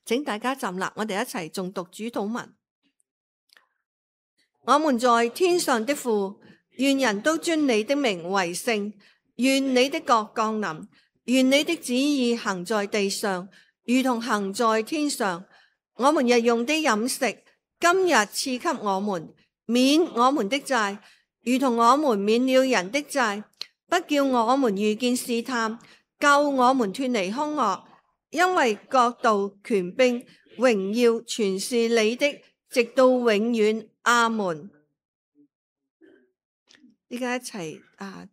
請大家站立，我哋一齊誦讀主禱文。我們在天上的父，願人都尊你的名為聖。願你的國降臨，願你的旨意行在地上，如同行在天上。我們日用的飲食，今日賜給我們，免我們的債，如同我們免了人的債，不叫我們遇見試探，救我們脫離兇惡。因為國度、權柄、榮耀全是你的，直到永遠。阿門。依家一齊啊，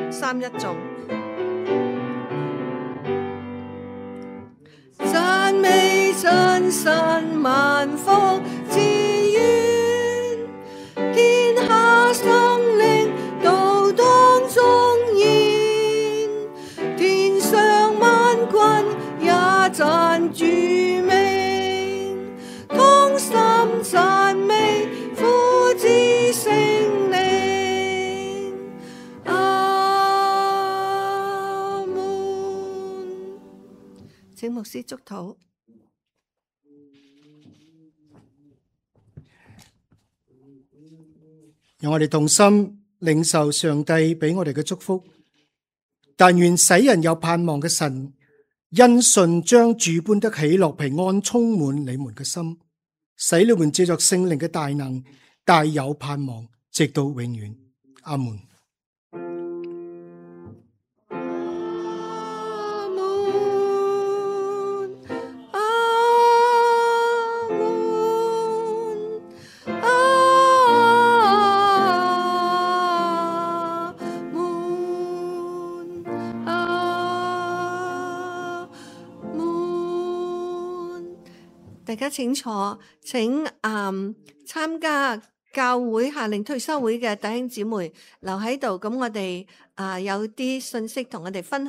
三一頌，讚美真神萬福之源，天下生靈都當頌言，天上萬軍也讚主名，牧師祝禱。讓我哋同心領受上帝俾我哋嘅祝福。但願使人有盼望嘅神，因信將主般的喜樂平安充滿你們嘅心，使你們借着聖靈嘅大能，大有盼望，直到永遠。阿門。大家請坐，請嗯參加教會夏令退休會嘅弟兄姊妹留喺度，咁我哋啊有啲信息同我哋分享。